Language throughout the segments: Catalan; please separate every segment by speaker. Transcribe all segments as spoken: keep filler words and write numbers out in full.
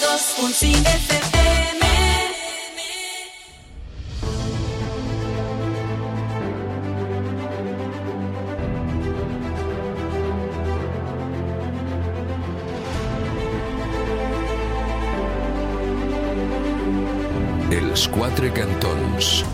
Speaker 1: dos punt cinc F M.
Speaker 2: Els quatre cantons.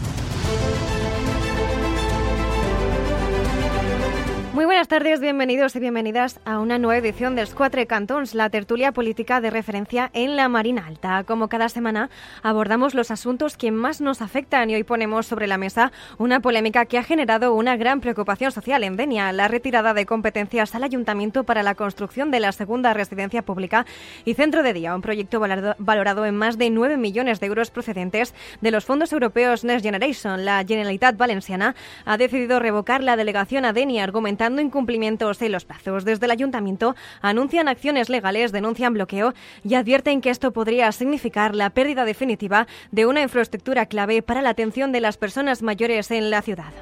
Speaker 3: Muy buenas tardes, bienvenidos y bienvenidas a una nueva edición de Los Quatre Cantons, la tertulia política de referencia en la Marina Alta. Como cada semana, abordamos los asuntos que más nos afectan y hoy ponemos sobre la mesa una polémica que ha generado una gran preocupación social en Denia, la retirada de competencias al Ayuntamiento para la construcción de la segunda residencia pública y centro de día, un proyecto valorado en más de nueve millones de euros procedentes de los fondos europeos Next Generation. La Generalitat Valenciana ha decidido revocar la delegación a Denia, argumentando incumplimientos en los plazos. Desde el Ayuntamiento anuncian acciones legales, denuncian bloqueo y advierten que esto podría significar la pérdida definitiva de una infraestructura clave para la atención de las personas mayores en la ciudad.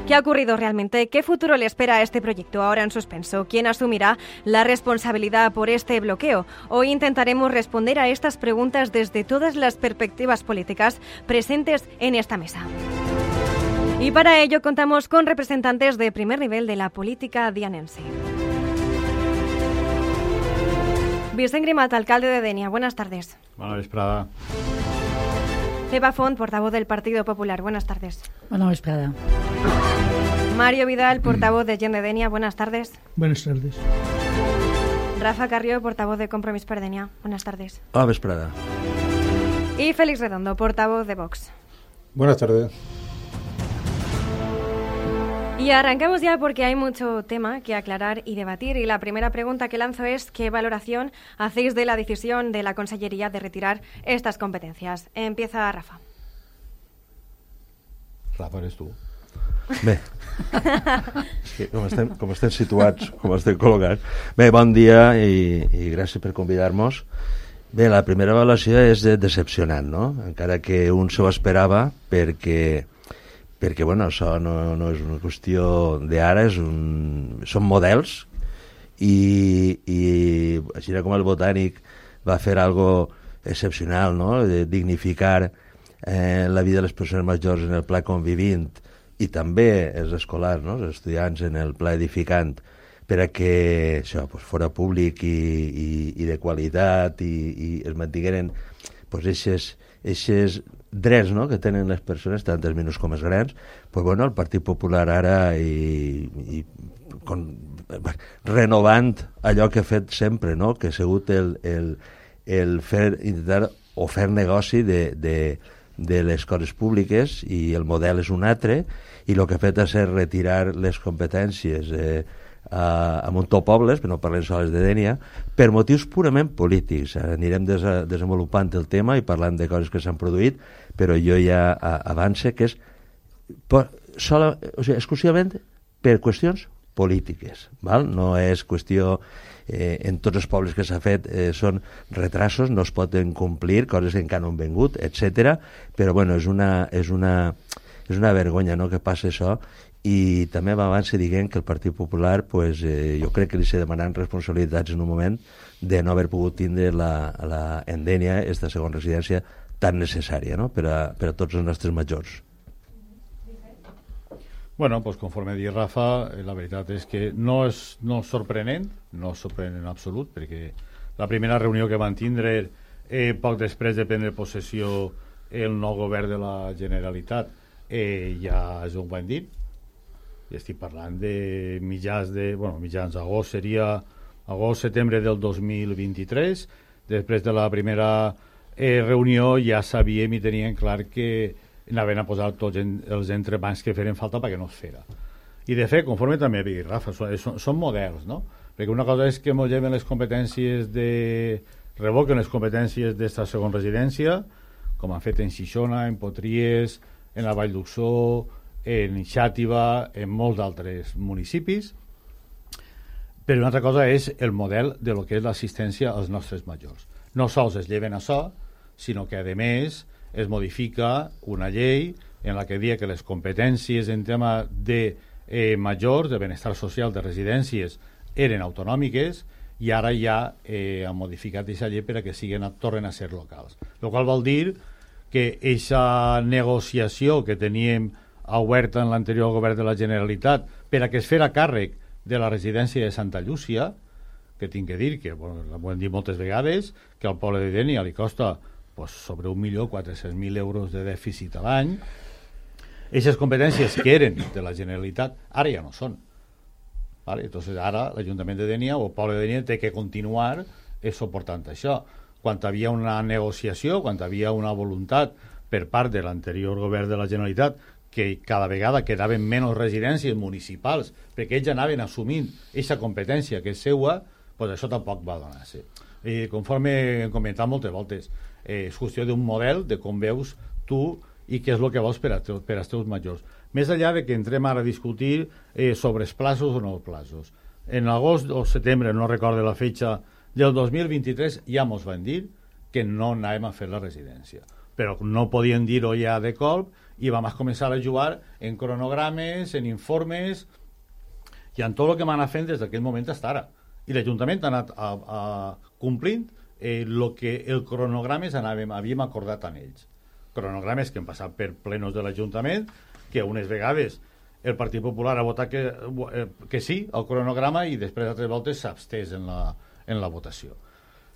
Speaker 3: ¿Qué ha ocurrido realmente? ¿Qué futuro le espera a este proyecto ahora en suspenso? ¿Quién asumirá la responsabilidad por este bloqueo? Hoy intentaremos responder a estas preguntas desde todas las perspectivas políticas presentes en esta mesa. Y para ello contamos con representantes de primer nivel de la política dianense. Vicent Grimat, alcalde de Denia, buenas tardes.
Speaker 4: Buenas vesprada.
Speaker 3: Eva Font, portavoz del Partido Popular, buenas tardes.
Speaker 5: Buenas vesprada.
Speaker 3: Mario Vidal, portavoz de Gent de Denia, buenas tardes.
Speaker 6: Buenas tardes.
Speaker 3: Rafa Carrió, portavoz de Compromís per Denia, buenas tardes.
Speaker 7: Hola, vesprada.
Speaker 3: Y Félix Redondo, portavoz de Vox.
Speaker 8: Buenas tardes.
Speaker 3: Y arrancamos ya porque hay mucho tema que aclarar y debatir. Y la primera pregunta que lanzo es ¿qué valoración hacéis de la decisión de la Consellería de retirar estas competencias? Empieza Rafa.
Speaker 4: Rafa, eres tu.
Speaker 7: Bé, és que com estem, com estem situats, com estem col·locats. Bé, bon dia i, i gràcies per convidar-nos. Bé, la primera valoració és decepcionant, no? Encara que un s'ho esperava perquè... perquè bueno, això no, no és una qüestió d'ara, és un, són models i, i així com el Botànic va fer algo excepcional, no? De dignificar eh, la vida de les persones majors en el pla convivint i també els escolars, no? Els estudiants en el pla edificant, per a que això pues, fora públic i, i, i de qualitat i, i es mantingueren pues, eixes, eixes drets, no?, que tenen les persones, tant els menús com els grans. Pues, bueno, el Partit Popular ara i, i con, renovant allò que ha fet sempre, no?, que ha sigut el, el, el fer, intentar o fer negoci de, de, de les coses públiques, i el model és un altre, i el que ha fet és retirar les competències eh, a, a Montopobles, però no parlem sols de Denia, per motius purament polítics. Anirem des, desenvolupant el tema i parlant de coses que s'han produït, però jo ja avance que és per, sola, o sigui, exclusivament per qüestions polítiques, val? No és qüestió, eh, en tots els pobles que s'ha fet eh, són retrasos, no es poden complir, coses que encara no han vengut, etcètera. Però bueno, és una, és una, és una vergonya, no?, que passa això. I també abans se diguem que el Partit Popular, pues, eh, jo crec que li s'ha demanat responsabilitats en un moment de no haver pogut tindre la, la Endènia, esta segona residència tan necessària, no?, per a, per a tots els nostres majors.
Speaker 4: Bueno, pues conforme diu Rafa, la veritat és que no és, no és sorprenent, no és sorprenent en absolut, perquè la primera reunió que van tindre eh, poc després de prendre possessió el nou govern de la Generalitat eh, ja és un bon dit. I estic parlant de mitjans de, bueno, mitjans agost, seria agost-setembre del dos mil vint-i-tres. Després de la primera eh, reunió ja sabíem i teníem clar que anaven a posar tots en, els entrebancs que feren falta perquè no es fera. I de fet, conforme també ha dit Rafa, són, són, són models, no? Perquè una cosa és que ens lleven les competències de... revoquen les competències d'esta segona residència, com han fet en Xixona, en Potries, en la Vall d'Uxó, en Xàtiva, en molts altres municipis. Però una altra cosa és el model de lo que és l'assistència als nostres majors. No sols es lleven això, sinó que, a més, es modifica una llei en la que dia que les competències en tema de eh, majors, de benestar social, de residències, eren autonòmiques i ara ja eh, han modificat aquesta llei per a que siguin, tornen a ser locals. El qual vol dir que aquesta negociació que teníem oberta en l'anterior govern de la Generalitat per a que es fera càrrec de la residència de Santa Llúcia, que tinc que dir que, bueno, ho hem dit moltes vegades, que al poble de Dénia li costa pues, sobre un milió quatre-cents mil euros de dèficit a l'any. Aquestes competències que eren de la Generalitat ara ja no són. Vale? Entonces ara l'Ajuntament de Dénia o el poble de Dénia té que continuar eh, suportant això. Quan hi havia una negociació, quan hi havia una voluntat per part de l'anterior govern de la Generalitat que cada vegada quedaven menys residències municipals perquè ells anaven assumint aquesta competència que és seua, pues això tampoc va donar-se. I conforme hem comentat moltes voltes, eh, és qüestió d'un model de com veus tu i què és el que vols per, a teu, per als teus majors. Més enllà de que entrem ara a discutir eh, sobre els plazos o no els plazos. En agost o setembre, no recordo la fetxa, del dos mil vint-i-tres ja mos van dir que no anàvem a fer la residència. Però no podien dir-ho ja de colp i vam començar a jugar en cronogrames, en informes i en tot el que m'han anat fent des d'aquell moment fins ara. I l'Ajuntament ha anat a, a complint eh, el que el cronogrames anàvem, havíem acordat amb ells. Cronogrames que hem passat per plenos de l'Ajuntament, que unes vegades el Partit Popular ha votat que, eh, que sí al cronograma i després altres voltes s'ha abstès en la, en la votació.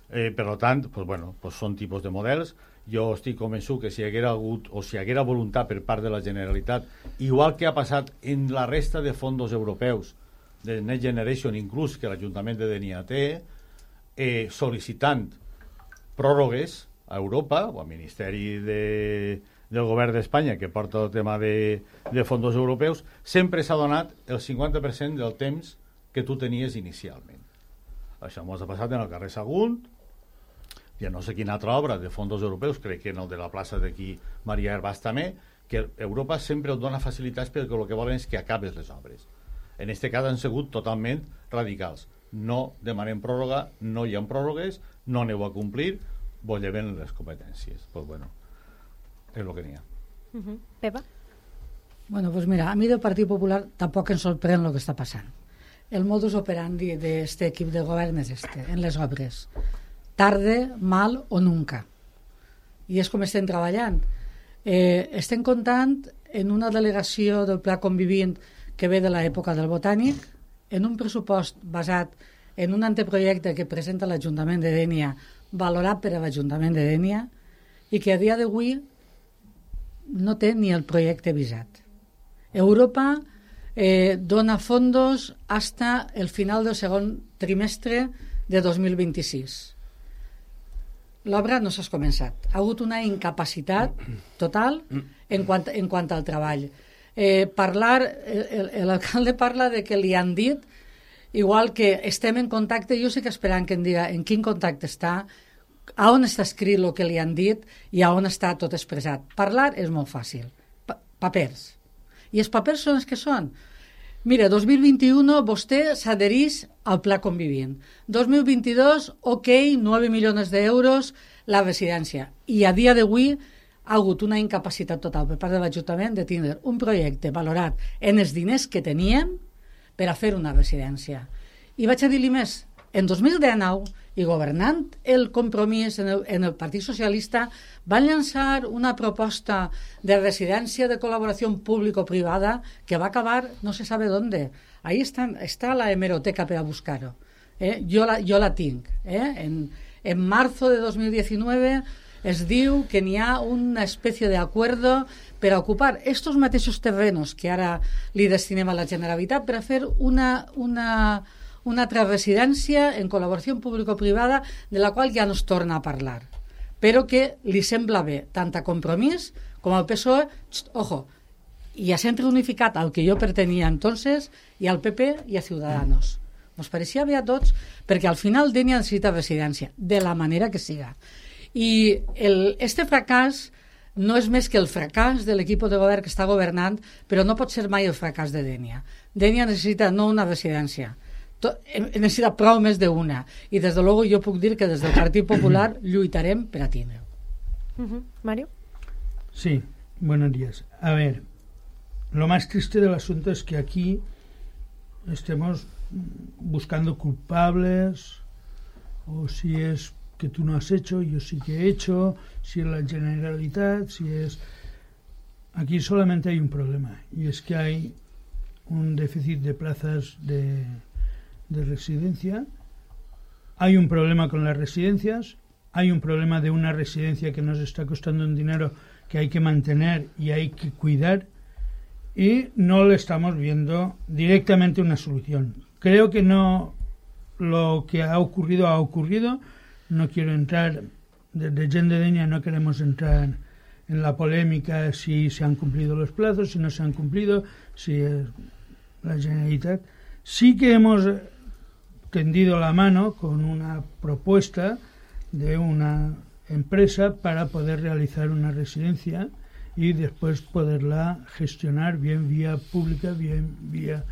Speaker 4: Eh, per tant, pues, bueno, pues són tipus de models. Jo estic convençut que si hi haguera hagut o si hi haguera voluntat per part de la Generalitat, igual que ha passat en la resta de fondos europeus de Next Generation, inclús que l'Ajuntament de Dénia té, eh, sol·licitant pròrrogues a Europa o al Ministeri de, del Govern d'Espanya que porta el tema de, de fondos europeus, sempre s'ha donat el cinquanta per cent del temps que tu tenies inicialment. Això m'ho ha passat en el carrer Sagunt, i no sé quina altra obra de fondos europeus, crec que en el de la plaça d'aquí Maria Herbàs també, que Europa sempre et dona facilitats perquè el que volen és que acabes les obres. En aquest cas han sigut totalment radicals. No demanem pròrroga, no hi ha pròrrogues, no aneu a complir, vos lleven les competències. Pues bueno, és el que n'hi ha.
Speaker 3: Uh-huh. Pepa?
Speaker 5: Bueno, pues mira, a mi del Partit Popular tampoc em sorprèn el que està passant. El modus operandi d'aquest equip de govern és este, en les obres. Tarde, mal o nunca. I és com estem treballant. Eh, estem comptant en una delegació del Pla Convivint que ve de l'època del Botànic, en un pressupost basat en un anteprojecte que presenta l'Ajuntament de Dénia, valorat per a l'Ajuntament de Dénia, i que a dia d'avui no té ni el projecte visat. Europa eh, dona fondos hasta el final del segon trimestre de dos mil vint-i-sis. L'obra no s'ha començat. Ha hagut una incapacitat total en quant, en quant al treball. Eh, parlar, l'alcalde parla de que li han dit, igual que estem en contacte, jo sé que esperant que em diga en quin contacte està, a on està escrit el que li han dit i a on està tot expressat. Parlar és molt fàcil. Pa papers. I els papers són els que són. Mira, dos mil vint-i-u vostè s'adherís al Pla Convivint. dos mil vint-i-dos, ok, nueve milions d'euros la residència. I a dia d'avui ha hagut una incapacitat total per part de l'Ajuntament de tindre un projecte valorat en els diners que tenien per a fer una residència. I vaig a dir-li més, en dos mil dinou, i governant el Compromís en el, en el Partit Socialista, van llançar una proposta de residència de col·laboració público-privada que va acabar no se sabe dónde. Ahí està, està la hemeroteca per a buscar-ho. Eh? Jo, la, jo la tinc. Eh? En, en marzo de dos mil diecinueve es diu que n'hi ha una espècie d'acuerdo per a ocupar estos mateixos terrenos que ara li destinem a la Generalitat per a fer una... una una altra residència en col·laboració público-privada de la qual ja no es torna a parlar, però que li sembla bé tant a Compromís com al P S O E, xt, ojo, i a Centre Unificat, al que jo pertenia entonces, i al P P i a Ciudadanos. Ens pareixia bé a tots, perquè al final Dénia necessita residència, de la manera que siga. I el, este fracàs no és més que el fracàs de l'equip de govern que està governant, però no pot ser mai el fracàs de Dénia. Dénia necessita no una residència, necessita prou més d'una, i des de luego jo puc dir que des del Partit Popular lluitarem per a tindre-ho.
Speaker 3: Uh-huh. Mario?
Speaker 6: Sí, buenos días. A ver, lo más triste del asunto es que aquí estemos buscando culpables, o si es que tú no has hecho, yo sí que he hecho, si es la Generalitat, si es... Aquí solamente hay un problema, y es que hay un déficit de plazas de, de residencia, hay un problema con las residencias, hay un problema de una residencia que nos está costando un dinero que hay que mantener y hay que cuidar, y no le estamos viendo directamente una solución. Creo que no, lo que ha ocurrido ha ocurrido. No quiero entrar, desde Gent de Dénia no queremos entrar en la polémica si se han cumplido los plazos, si no se han cumplido, si es la Generalitat. Sí que hemos tendido la mano con una propuesta de una empresa para poder realizar una residencia y después poderla gestionar bien vía pública, bien vía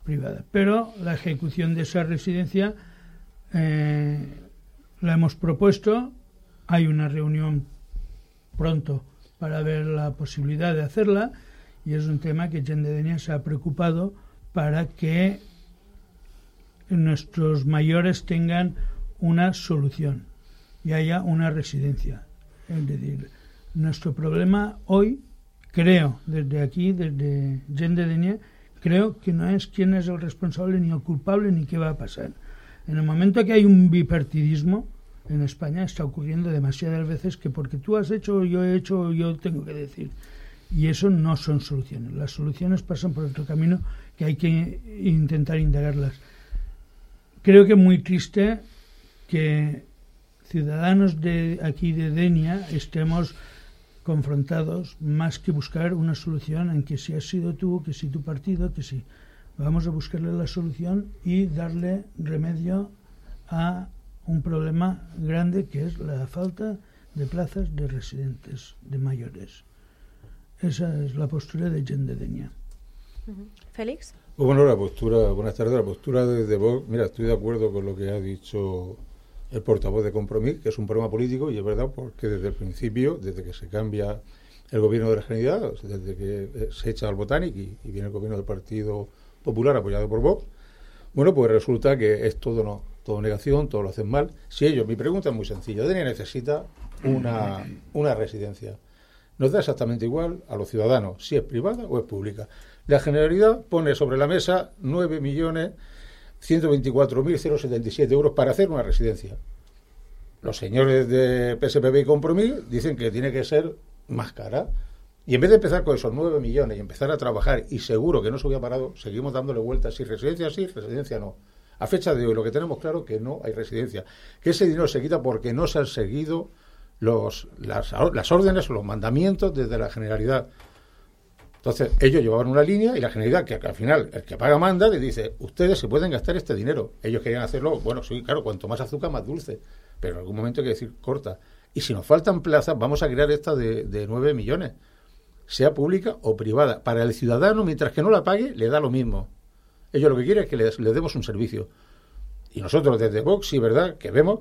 Speaker 6: privada. Pero la ejecución de esa residencia eh, la hemos propuesto, hay una reunión pronto para ver la posibilidad de hacerla, y es un tema que Gent de Dénia se ha preocupado para que nuestros mayores tengan una solución y haya una residencia. Es decir, nuestro problema hoy, creo, desde aquí, desde Gent de Dénia, creo que no es quién es el responsable ni el culpable ni qué va a pasar. En el momento que hay un bipartidismo en España, está ocurriendo demasiadas veces que porque tú has hecho, yo he hecho, yo tengo que decir. Y eso no son soluciones. Las soluciones pasan por otro camino que hay que intentar indagarlas. Creo que es muy triste que ciudadanos de aquí de Dénia estemos confrontados más que buscar una solución en que si has sido tú, que si tu partido, que si vamos a buscarle la solución y darle remedio a un problema grande que es la falta de plazas de residentes de mayores. Esa es la postura de Gent de Dénia.
Speaker 3: Félix.
Speaker 8: Bueno, la postura, buenas tardes, la postura de, de Vox, mira, estoy de acuerdo con lo que ha dicho el portavoz de Compromís, que es un problema político, y es verdad porque desde el principio, desde que se cambia el gobierno de la Generalidad, desde que se echa al Botanic y, y viene el gobierno del Partido Popular apoyado por Vox, bueno, pues resulta que es todo no, todo negación, todo lo hacen mal. Si ellos, mi pregunta es muy sencilla, Dénia necesita una, una residencia. Nos da exactamente igual a los ciudadanos si es privada o es pública. La Generalidad pone sobre la mesa nueve millones ciento veinticuatro mil setenta y siete euros para hacer una residencia. Los señores de P S P B y Compromís dicen que tiene que ser más cara. Y en vez de empezar con esos nueve millones y empezar a trabajar, y seguro que no se hubiera parado, seguimos dándole vueltas, si residencia sí, residencia no. A fecha de hoy lo que tenemos claro es que no hay residencia, que ese dinero se quita porque no se han seguido los, las, las órdenes o los mandamientos desde la Generalidad. Entonces ellos llevaban una línea y la Generalidad, que, que al final el que paga manda, le dice, ustedes se pueden gastar este dinero. Ellos querían hacerlo, bueno, sí, claro, cuanto más azúcar más dulce, pero en algún momento hay que decir corta. Y si nos faltan plazas, vamos a crear esta de, de nueve millones, sea pública o privada. Para el ciudadano, mientras que no la pague, le da lo mismo. Ellos lo que quieren es que les, les demos un servicio. Y nosotros desde Vox, sí, verdad, que vemos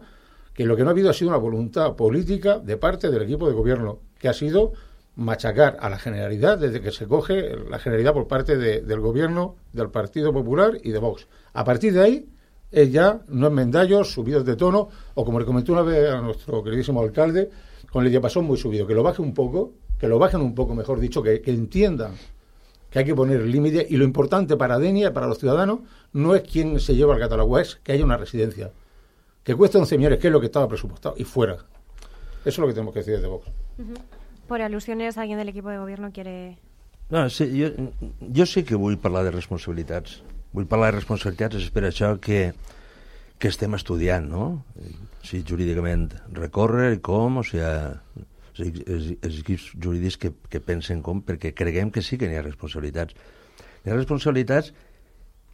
Speaker 8: que lo que no ha habido ha sido una voluntad política de parte del equipo de gobierno, que ha sido machacar a la Generalidad desde que se coge la Generalidad por parte de, del gobierno, del Partido Popular y de Vox. A partir de ahí, es ya no enmendallos, subidos de tono, o como le comentó una vez a nuestro queridísimo alcalde, con el diapasón muy subido, que lo baje un poco, que lo bajen un poco, mejor dicho, que, que entiendan que hay que poner límites, y lo importante para Dénia, para los ciudadanos, no es quién se lleva el catálogo, es que haya una residencia, que cueste once millones, que es lo que estaba presupuestado, y fuera. Eso es lo que tenemos que decir desde Vox.
Speaker 3: Uh-huh. Por alusiones, alguien del equipo de gobierno quiere...
Speaker 7: No, sí, jo, jo sí que vull parlar de responsabilitats. Vull parlar de responsabilitats, és per això que, que estem estudiant, no? Si jurídicament recórrer i com, o sigui, els, els, els equips jurídics que, que pensen com, perquè creguem que sí que n'hi ha responsabilitats. N'hi ha responsabilitats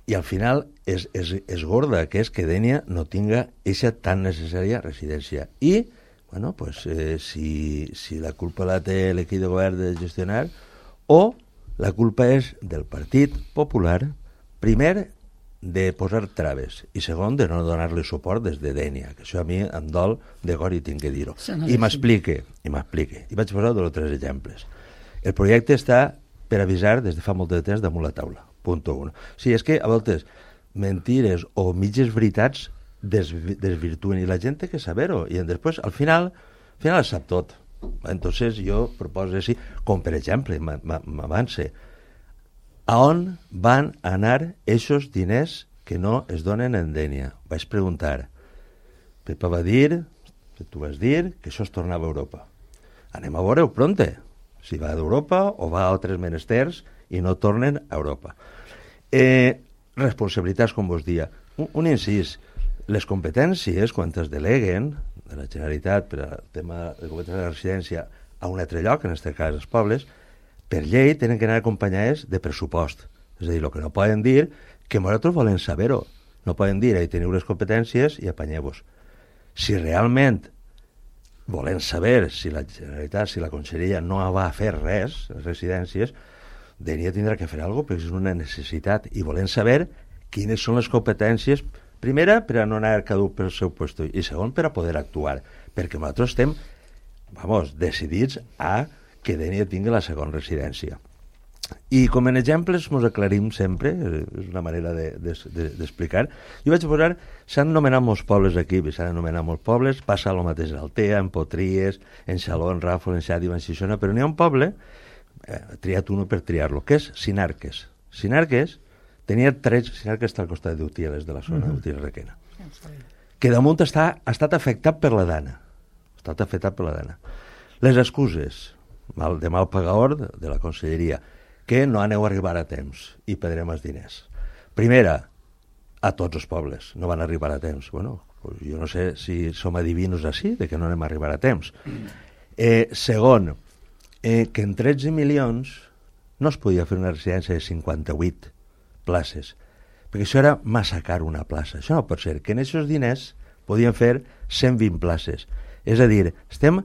Speaker 7: i al final és, és, és gorda, que és que Dénia no tinga eixa tan necessària residència. I bueno, pues eh, si, si la culpa la té l'equip de govern de gestionar, o la culpa és del Partit Popular, primer, de posar traves, i segon, de no donar-li suport des de Dénia, que això a mi em dol de cor i tinc que dir-ho. I m'explique, i m'explique. I vaig posar dos o tres exemples. El projecte està per avisar des de fa molt de temps damunt la taula. Punto uno. Sí, és que a voltes mentires o mitges veritats desvi desvirtuen i la gent té que saber-ho i després al final, al final sap tot. Entonces jo proposo així, com per exemple, m'avance, a on van anar aquests diners que no es donen en Dènia? Vaig preguntar. Pepa va dir, tu vas dir, que això es tornava a Europa. Anem a veure-ho pronte, si va d'Europa o va a altres menesters i no tornen a Europa. Eh, responsabilitats, com vos dia. Un, un incís, les competències, quan es deleguen de la Generalitat per al tema de competència de la residència a un altre lloc, en aquest cas els pobles, per llei tenen que anar acompanyades de pressupost. És a dir, el que no poden dir que nosaltres volem saber-ho. No poden dir, ahí teniu les competències i apanyeu-vos. Si realment volem saber si la Generalitat, si la Conselleria no va a fer res, les residències, Dènia tindrà que fer alguna cosa perquè és una necessitat i volem saber quines són les competències, primera, per a no anar caduc pel seu lloc i segon, per a poder actuar, perquè nosaltres estem, vamos, decidits a que Dènia tingui la segona residència. I com en exemples ens aclarim sempre, és una manera d'explicar. De, de, jo vaig posar, s'han anomenat molts pobles aquí, s'han anomenat molts pobles, passa el mateix en Altea, en Potries, en Xaló, en Ràfol, en Xàtiva, en Xixona, però n'hi ha un poble, he eh, triat uno per triar-lo, que és Sinarques. Sinarques tenia tres, Sinarques està al costat d'Utieles, de la zona uh-huh. d'Utieles Requena, que damunt està, ha estat afectat per la dana. Ha estat afectat per la dana. Les excuses mal, de mal pagador de, de la Conselleria, que no aneu a arribar a temps i perdrem els diners. Primera, a tots els pobles no van arribar a temps. Bueno, pues jo no sé si som adivinos així, de que no anem a arribar a temps. Eh, segon, eh, que en tretze milions no es podia fer una residència de cinquanta-vuit places, perquè això era massa car una plaça. Això no pot ser, que en aquests diners podien fer cent vint places. És a dir, estem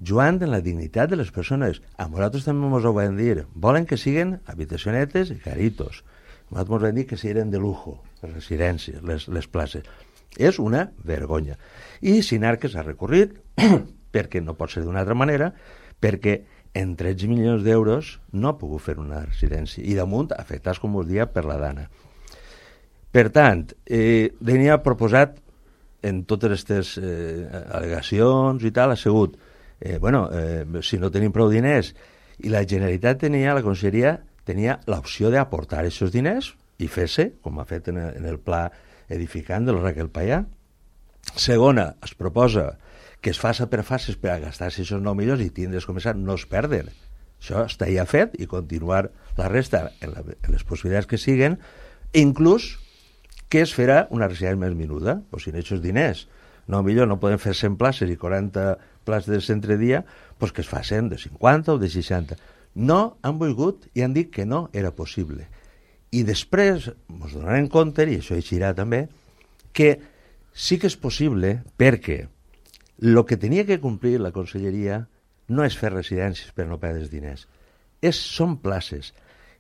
Speaker 7: jugant en la dignitat de les persones. A nosaltres també ens ho van dir. Volen que siguin habitacionetes i caritos. Nosaltres ens van dir que siguin de lujo, les residències, les, les places. És una vergonya. I Sinarques ha recorrit, perquè no pot ser d'una altra manera, perquè en tretze milions d'euros no ha pogut fer una residència. I damunt, afectats, com us dia, per la dana. Per tant, eh, Dènia ha proposat, en totes aquestes eh, al·legacions i tal, ha sigut Eh, bueno, eh, si no tenim prou diners, i la Generalitat tenia, la Conselleria tenia l'opció d'aportar aquests diners i fer-se, com ha fet en el, en el pla edificant de la Raquel Payà. Segona, es proposa que es faça per fases per a gastar-se aquests nou milions i tindre's començar, no es perden. Això està ja fet i continuar la resta en, la, en les possibilitats que siguen, inclús que es farà una residència més menuda, o si en aquests diners no, millor no poden fer cent places i quaranta places de centre dia, doncs que es facin de cinquanta o de seixanta. No han volgut i han dit que no era possible. I després ens donarem compte, i això eixirà també, que sí que és possible perquè el que tenia que complir la Conselleria no és fer residències per no perdre diners. És, són places.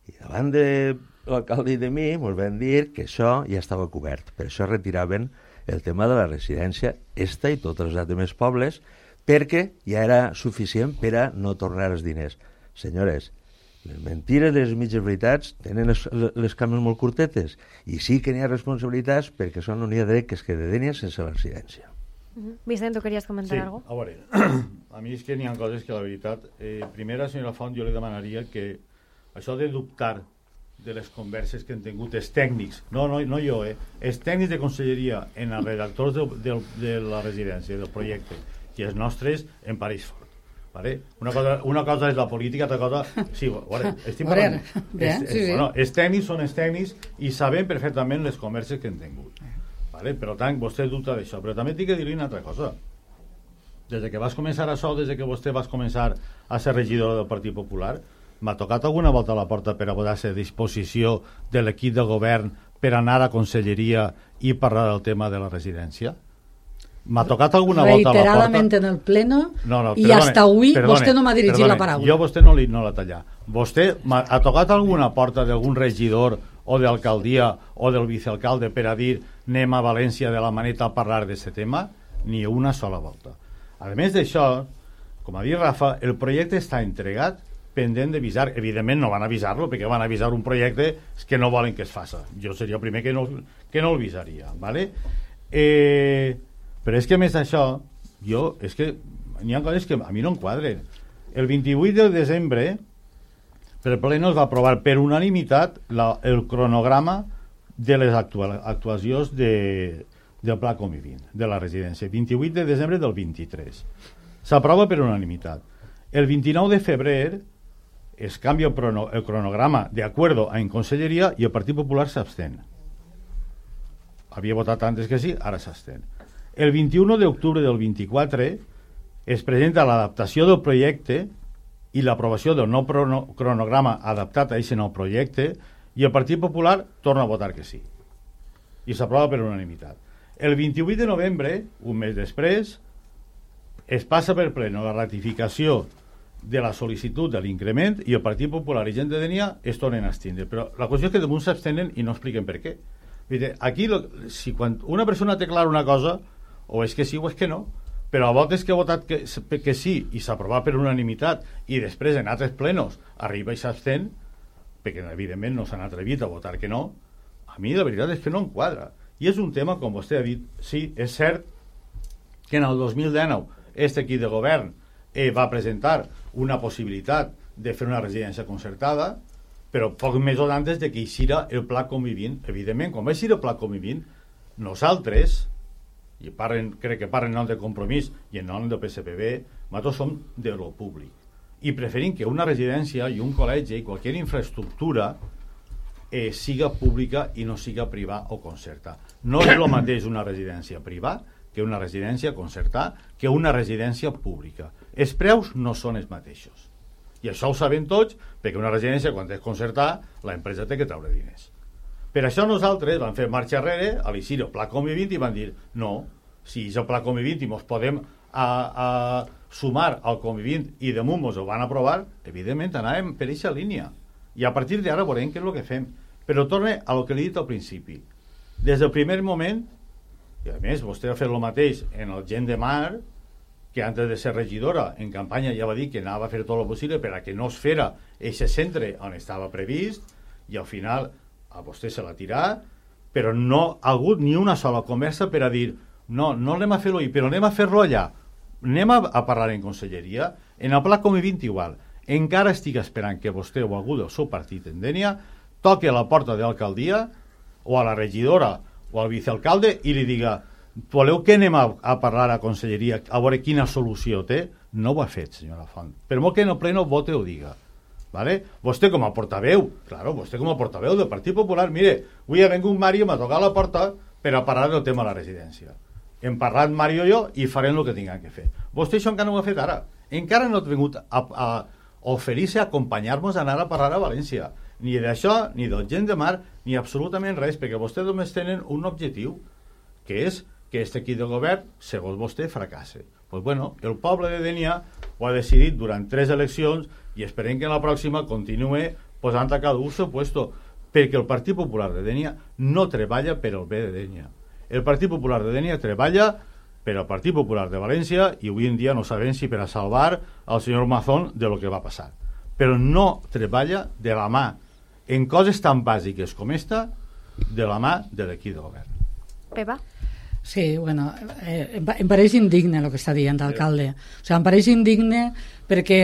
Speaker 7: I davant de l'alcalde i de mi ens van dir que això ja estava cobert. Per això retiraven el tema de la residència esta i tots els altres pobles, perquè ja era suficient per a no tornar els diners. Senyores, les mentires, les mitges veritats tenen les, les cames molt curtetes, i sí que n'hi ha responsabilitats perquè són un dia dret que es queda de Dènia sense la residència.
Speaker 3: Uh-huh. Vicent, ¿tú querías comentar
Speaker 4: sí,
Speaker 3: algo?
Speaker 4: A veure, a mi és que n'hi ha coses que la veritat... Eh, primera, senyora Font, jo li demanaria que això de dubtar de les converses que han tingut els tècnics, no, no, no jo, eh, els tècnics de Conselleria en els redactors de, de, de la residència, del projecte, i els nostres en París fort. Vale? Una, cosa, una cosa és la política, altra cosa... Sí, bueno, estic parlant...
Speaker 5: Bé,
Speaker 4: els,
Speaker 5: sí, sí.
Speaker 4: Bueno, els tècnics són els tècnics i sabem perfectament les converses que han tingut. Vale? Per tant, vostè dubta d'això. Però també tinc que dir-li una altra cosa. Des que vas començar això, des que vostè vas començar a ser regidor del Partit Popular, m'ha tocat alguna volta a la porta per a posar-se a disposició de l'equip de govern per anar a Conselleria i parlar del tema de la residència? M'ha tocat alguna volta a la porta...
Speaker 5: Reiteradament en el pleno,
Speaker 4: no, no,
Speaker 5: i
Speaker 4: perdone,
Speaker 5: hasta avui
Speaker 4: perdone,
Speaker 5: vostè no m'ha dirigit
Speaker 4: perdone,
Speaker 5: la paraula.
Speaker 4: Jo vostè no, li, no la tallar. Vostè ha tocat alguna porta d'algun regidor o d'alcaldia o del vicealcalde per a dir anem a València de la Maneta a parlar d'aquest tema? Ni una sola volta. A més d'això, com ha dit Rafa, el projecte està entregat pendent d'avisar. Evidentment no van avisar-lo perquè van avisar un projecte que no volen que es faça. Jo seria el primer que no, que no el avisaria, ¿vale? Eh, però és que, més d'això, jo, és que n'hi ha coses que a mi no em quadren. El vint-i-vuit de desembre, el Pleno es va aprovar per unanimitat la, el cronograma de les actua, actuacions de, del Pla Convivint, de la residència. vint-i-vuit de desembre del vint-i-tres. S'aprova per unanimitat. El vint-i-nou de febrer es canvia el, prono, el cronograma de acuerdo en Conselleria i el Partit Popular s'abstén. Havia votat antes que sí, ara s'abstén. El vint-i-u d'octubre del vint-i-quatre es presenta l'adaptació del projecte i l'aprovació del nou cronograma adaptat a aquest nou projecte i el Partit Popular torna a votar que sí. I s'aprova per unanimitat. El vint-i-vuit de novembre, un mes després, es passa per pleno la ratificació de la sol·licitud de l'increment i el Partit Popular i gent de Denia es tornen a extindre. Però la qüestió és que damunt s'abstenen i no expliquen per què. Aquí, si quan una persona té clara una cosa, o és que sí o és que no, però a voltes que ha votat que, que sí i s'aprova per unanimitat i després en altres plenos arriba i s'abstén, perquè evidentment no s'han atrevit a votar que no, a mi la veritat és que no em quadra. I és un tema, com vostè ha dit, sí, és cert que en el dos mil dinou este equip de govern eh, va presentar una possibilitat de fer una residència concertada, però pocs mesos antes de que eixira el Pla Convivint. Evidentment, quan va eixir el Pla Convivint, nosaltres, i parlen, crec que parlen en nom de Compromís i en nom del P S P B, nosaltres som de lo públic. I preferim que una residència i un col·legi i qualsevol infraestructura eh, siga pública i no siga privada o concertada. No és el mateix una residència privada que una residència concertada, que una residència pública. Els preus no són els mateixos. I això ho sabem tots, perquè una residència, quan és concertada, l'empresa té que treure diners. Per això nosaltres vam fer marxa enrere a l'eixir el Pla Convivint i van dir no, si és el Pla Convivint i ens podem a, a sumar al Convivint i damunt ens ho van aprovar, evidentment anàvem per aquesta línia. I a partir d'ara veurem què és el que fem. Però torne a lo que li he dit al principi. Des del primer moment, i a més vostè ha fet el mateix en el Gent de Mar, que antes de ser regidora en campanya ja va dir que anava a fer tot el possible per a que no es fera aquest centre on estava previst, i al final a vostè se l'ha tirat, però no ha hagut ni una sola conversa per a dir no, no anem a fer-lo ahir, però anem a fer-lo allà, anem a, a parlar en conselleria. En el Pla Convivint igual, encara estic esperant que vostè o algú del seu partit en Denia toque a la porta de l'alcaldia o a la regidora o al vicealcalde i li diga voleu que anem a, a parlar a conselleria a veure quina solució té? No ho ha fet, senyora Font. Per molt que en el pleno vote ho diga. ¿Vale? Vostè com a portaveu, claro, vostè com a portaveu del Partit Popular, mire, avui ha vingut Mario, m'ha tocat la porta per a parlar del tema de la residència. Hem parlat Mario i jo i farem el que tinguem que fer. Vostè això encara no ho ha fet ara. Encara no ha vingut a, a oferir-se a acompanyar-nos a anar a parlar a València. Ni d'això, ni del Gent de Mar, ni absolutament res, perquè vostès només tenen un objectiu, que és que aquest equip de govern, segons vostè, fracasse. Pues bueno, el poble de Denia ho ha decidit durant tres eleccions i esperem que en la pròxima continue posant a cada un seu puesto, perquè el Partit Popular de Denia no treballa per al bé de Denia. El Partit Popular de Denia treballa per al Partit Popular de València i avui en dia no sabem si per a salvar al senyor Mazón de lo que va passar. Però no treballa de la mà en coses tan bàsiques com esta de la mà de l'equip de govern.
Speaker 3: Pepa?
Speaker 5: Sí, bueno, eh, em pareix indigne el que està dient l'alcalde. O sigui, em pareix indigne perquè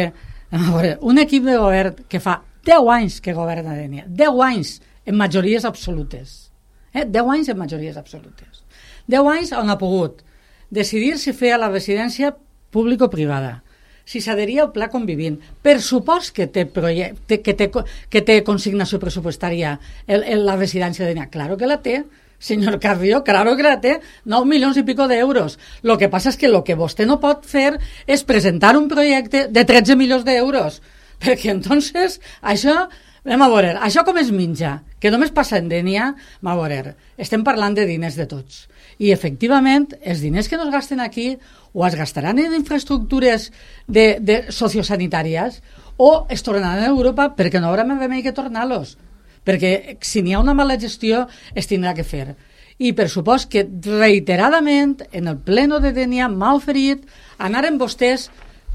Speaker 5: a veure, un equip de govern que fa deu anys que governa Denia, deu anys en majories absolutes, eh? deu anys en majories absolutes, deu anys on ha pogut decidir si feia la residència pública o privada, si s'adheria al Pla Convivint, per supost que té, projecte, que té, que té consignació pressupostària el, el, la residència de Denia, claro que la té, señor Carrió, claro que la té, nou milions i pico d'euros. Lo que passa és que lo que vostè no pot fer és presentar un projecte de tretze milions d'euros, perquè entonces això, anem a veure, això com es minja, que només passa en Denia, a veure, estem parlant de diners de tots. I efectivament, els diners que no es gasten aquí o es gastaran en infraestructures de, de sociosanitàries o es tornaran a Europa perquè no haurà més remei que tornar-los. Perquè si n'hi ha una mala gestió es tindrà que fer. I per supost que reiteradament en el pleno de Denia m'ha oferit anar amb vostès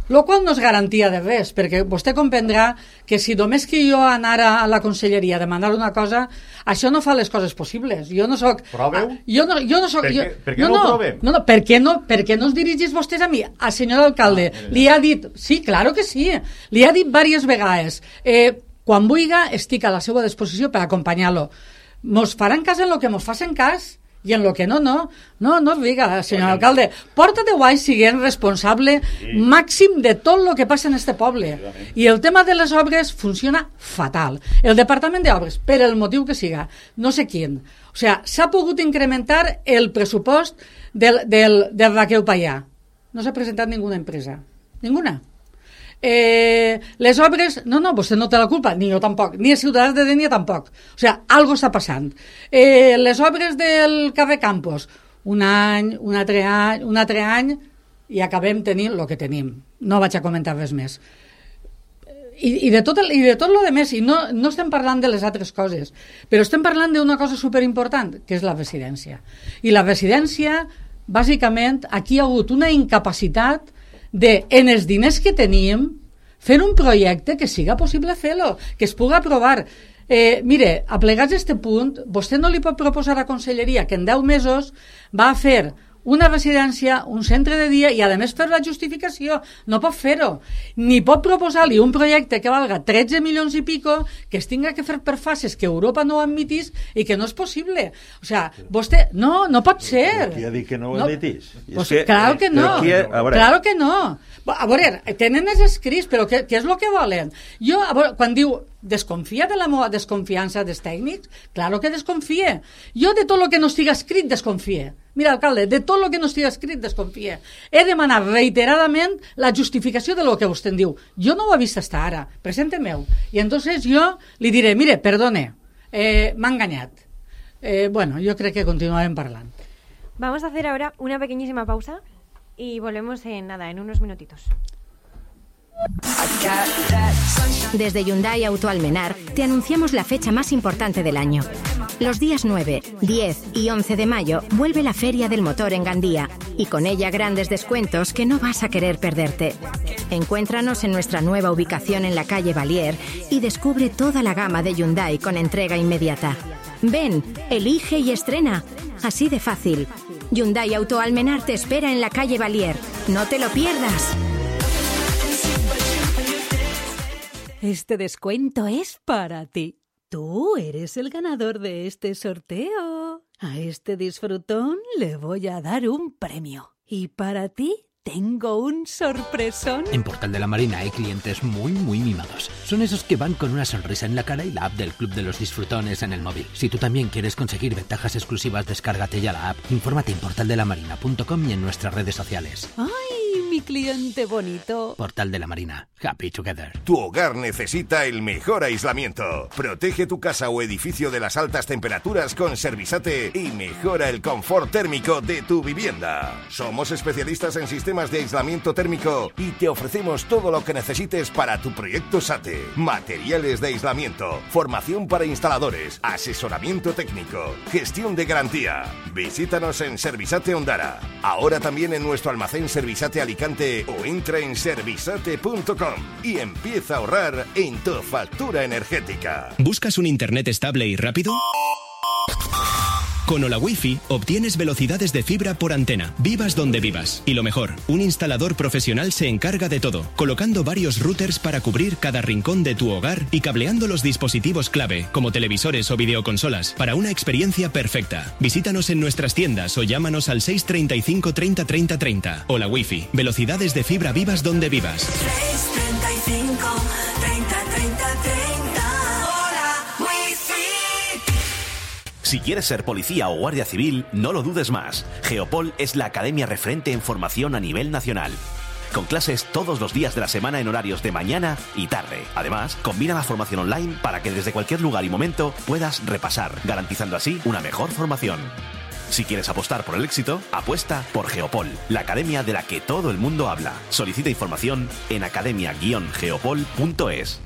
Speaker 5: Lo qual no és garantia de res, perquè vostè comprendrà que si només que jo anara a la conselleria a demanar una cosa, això no fa les coses possibles. Jo no soc...
Speaker 4: Proveu?
Speaker 5: Jo no, jo no soc...
Speaker 4: Per què,
Speaker 5: jo,
Speaker 4: per què no, no ho provem?
Speaker 5: No, no, per què no, per què no us dirigís vostès a mi? A senyor alcalde, ah, li ha dit... Sí, claro que sí. Li ha dit diverses vegades. Eh, quan vulga, estic a la seva disposició per acompanyar-lo. Mos faran cas en lo que mos facin cas i en lo que no, no. No, no es diga, senyor Oye, alcalde. Porta de guai siguent responsable sí. màxim de tot lo que passa en este poble. I el tema de les obres funciona fatal. El Departament d'Obres, per el motiu que siga, no sé quin, o sea, s'ha pogut incrementar el pressupost del, del, del Raquel Payà. No s'ha presentat ninguna empresa. Ninguna. Eh, les obres, no, no, vostè no té la culpa, ni jo tampoc, ni els ciutadans de Dénia tampoc, o sigui, algo està passant. Eh, les obres del carrer Campos, un any, un altre any, un altre any, i acabem tenint el que tenim. No vaig a comentar res més. I, i de tot el, i de tot lo de més, i no, no estem parlant de les altres coses, però estem parlant d'una cosa superimportant, que és la residència. I la residència, bàsicament, aquí hi ha hagut una incapacitat de, en els diners que tenim, fer un projecte que siga possible fer-lo, que es pugui aprovar. Eh, mire, aplegats a este punt, vostè no li pot proposar a Conselleria que en deu mesos va a fer una residència, un centre de dia i a més fer la justificació. No pot fer-ho. Ni pot proposar-li un projecte que valga tretze milions i pico, que es tinga que fer per fases que Europa no admitís i que no és possible. O sea, vostè... No, no pot ser.
Speaker 7: Qui ha dit que no ho
Speaker 5: no,
Speaker 7: admitís?
Speaker 5: Pues, que, claro que no. Qui, a veure. Claro que no. A veure, tenen els escrits, però què, què és el que volen? Jo, a veure, quan diu desconfia de la meva desconfiança dels tècnics, claro que desconfie. Jo de tot el que no estigui escrit desconfie. Mira, alcalde, de tot el que no estigui escrit desconfie. He demanat reiteradament la justificació de lo que vostè em diu. Jo no ho he vist hasta ara, presente-meu. I entonces jo li diré, mire, perdone, eh, m'ha enganyat. Eh, bueno, yo creo que continuarem parlant.
Speaker 3: Vamos a hacer ahora una pequeñísima pausa y volvemos en nada, en unos minutitos.
Speaker 9: Desde Hyundai Auto Almenar te anunciamos la fecha más importante del año. Los días nueve, diez y once de mayo vuelve la Feria del Motor en Gandía y con ella grandes descuentos que no vas a querer perderte. Encuéntranos en nuestra nueva ubicación en la calle Valier y descubre toda la gama de Hyundai con entrega inmediata. Ven, elige y estrena. Así de fácil. Hyundai Auto Almenar te espera en la calle Valier. No te lo pierdas.
Speaker 10: Este descuento es para ti. Tú eres el ganador de este sorteo. A este disfrutón le voy a dar un premio. Y para ti tengo un sorpresón.
Speaker 11: En Portal de la Marina hay clientes muy, muy mimados. Son esos que van con una sonrisa en la cara y la app del Club de los Disfrutones en el móvil. Si tú también quieres conseguir ventajas exclusivas, descárgate ya la app. Infórmate en portal de la marina punto com y en nuestras redes sociales.
Speaker 10: ¡Ay, mi cliente bonito!
Speaker 11: Portal de la Marina. Happy together.
Speaker 12: Tu hogar necesita el mejor aislamiento. Protege tu casa o edificio de las altas temperaturas con Servisate y mejora el confort térmico de tu vivienda. Somos especialistas en sistemas de aislamiento térmico y te ofrecemos todo lo que necesites para tu proyecto SATE. Materiales de aislamiento, formación para instaladores, asesoramiento técnico, gestión de garantía. Visítanos en Servisate Ondara. Ahora también en nuestro almacén Servisate Alicante o entra en servisate punto com y empieza a ahorrar en tu factura energética.
Speaker 13: ¿Buscas un internet estable y rápido? Con Hola Wi-Fi obtienes velocidades de fibra por antena, vivas donde vivas. Y lo mejor, un instalador profesional se encarga de todo, colocando varios routers para cubrir cada rincón de tu hogar y cableando los dispositivos clave, como televisores o videoconsolas, para una experiencia perfecta. Visítanos en nuestras tiendas o llámanos al seis treinta y cinco treinta treinta treinta. Hola Wi-Fi, velocidades de fibra vivas donde vivas.
Speaker 1: seis treinta y cinco treinta treinta treinta. Hola Wi-Fi.
Speaker 14: Si quieres ser policía o guardia civil, no lo dudes más. Geopol es la academia referente en formación a nivel nacional. Con clases todos los días de la semana en horarios de mañana y tarde. Además, combina la formación online para que desde cualquier lugar y momento puedas repasar, garantizando así una mejor formación. Si quieres apostar por el éxito, apuesta por Geopol, la academia de la que todo el mundo habla. Solicita información en academia guion geopol punto es.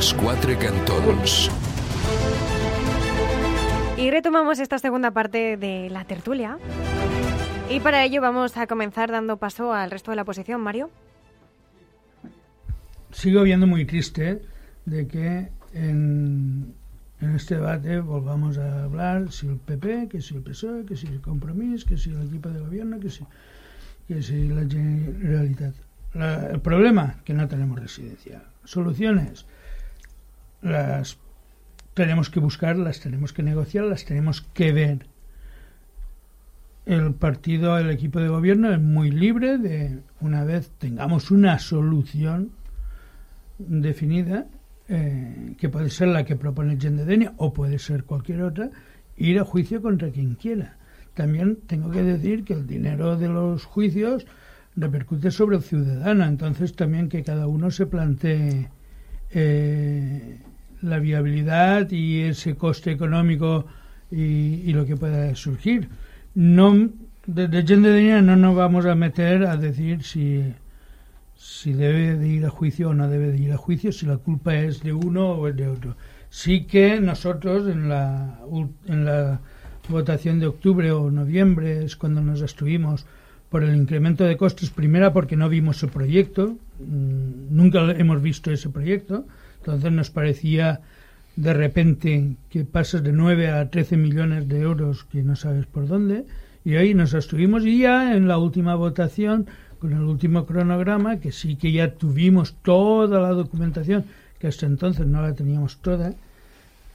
Speaker 2: dels Quatre Cantons.
Speaker 3: Y retomamos esta segunda parte de la tertulia. Y para ello vamos a comenzar dando paso al resto de la oposición. Mario.
Speaker 6: Sigo viendo muy triste de que en, en este debate volvamos a hablar si el P P, que si el P S O E, que si el Compromís, que si el equipo de gobierno, que si, que si la Generalitat. La, el problema, que no tenemos residencia. Soluciones, las tenemos que buscar, las tenemos que negociar, las tenemos que ver. El partido, el equipo de gobierno es muy libre de, una vez tengamos una solución definida, eh, que puede ser la que propone Gent de Denia o puede ser cualquier otra, ir a juicio contra quien quiera. También tengo que decir que el dinero de los juicios repercute sobre el ciudadano, entonces también que cada uno se plantee eh, la viabilidad y ese coste económico y, y lo que pueda surgir. No, desde Gent de Denia no nos vamos a meter a decir si, si debe de ir a juicio o no debe de ir a juicio, si la culpa es de uno o es de otro. Sí que nosotros en la, en la votación de octubre o noviembre es cuando nos abstuvimos por el incremento de costes, primera porque no vimos el proyecto, nunca hemos visto ese proyecto, entonces nos parecía de repente que pasas de nueve a trece millones de euros que no sabes por dónde, y ahí nos abstuvimos, y ya en la última votación, con el último cronograma, que sí que ya tuvimos toda la documentación, que hasta entonces no la teníamos toda,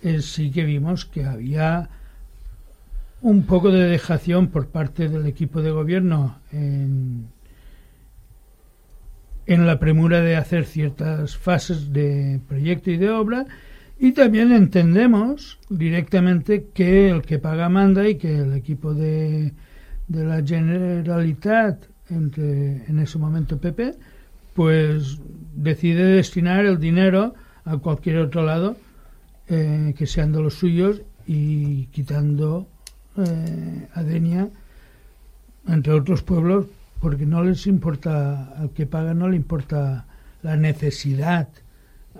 Speaker 6: eh, sí que vimos que había un poco de dejación por parte del equipo de gobierno en, en la premura de hacer ciertas fases de proyecto y de obra, y también entendemos directamente que el que paga manda y que el equipo de, de la Generalitat, entre, en ese momento P P, pues decide destinar el dinero a cualquier otro lado eh, que sean de los suyos, y quitando eh, a Denia, entre otros pueblos, porque no les importa, al que paga no le importa la necesidad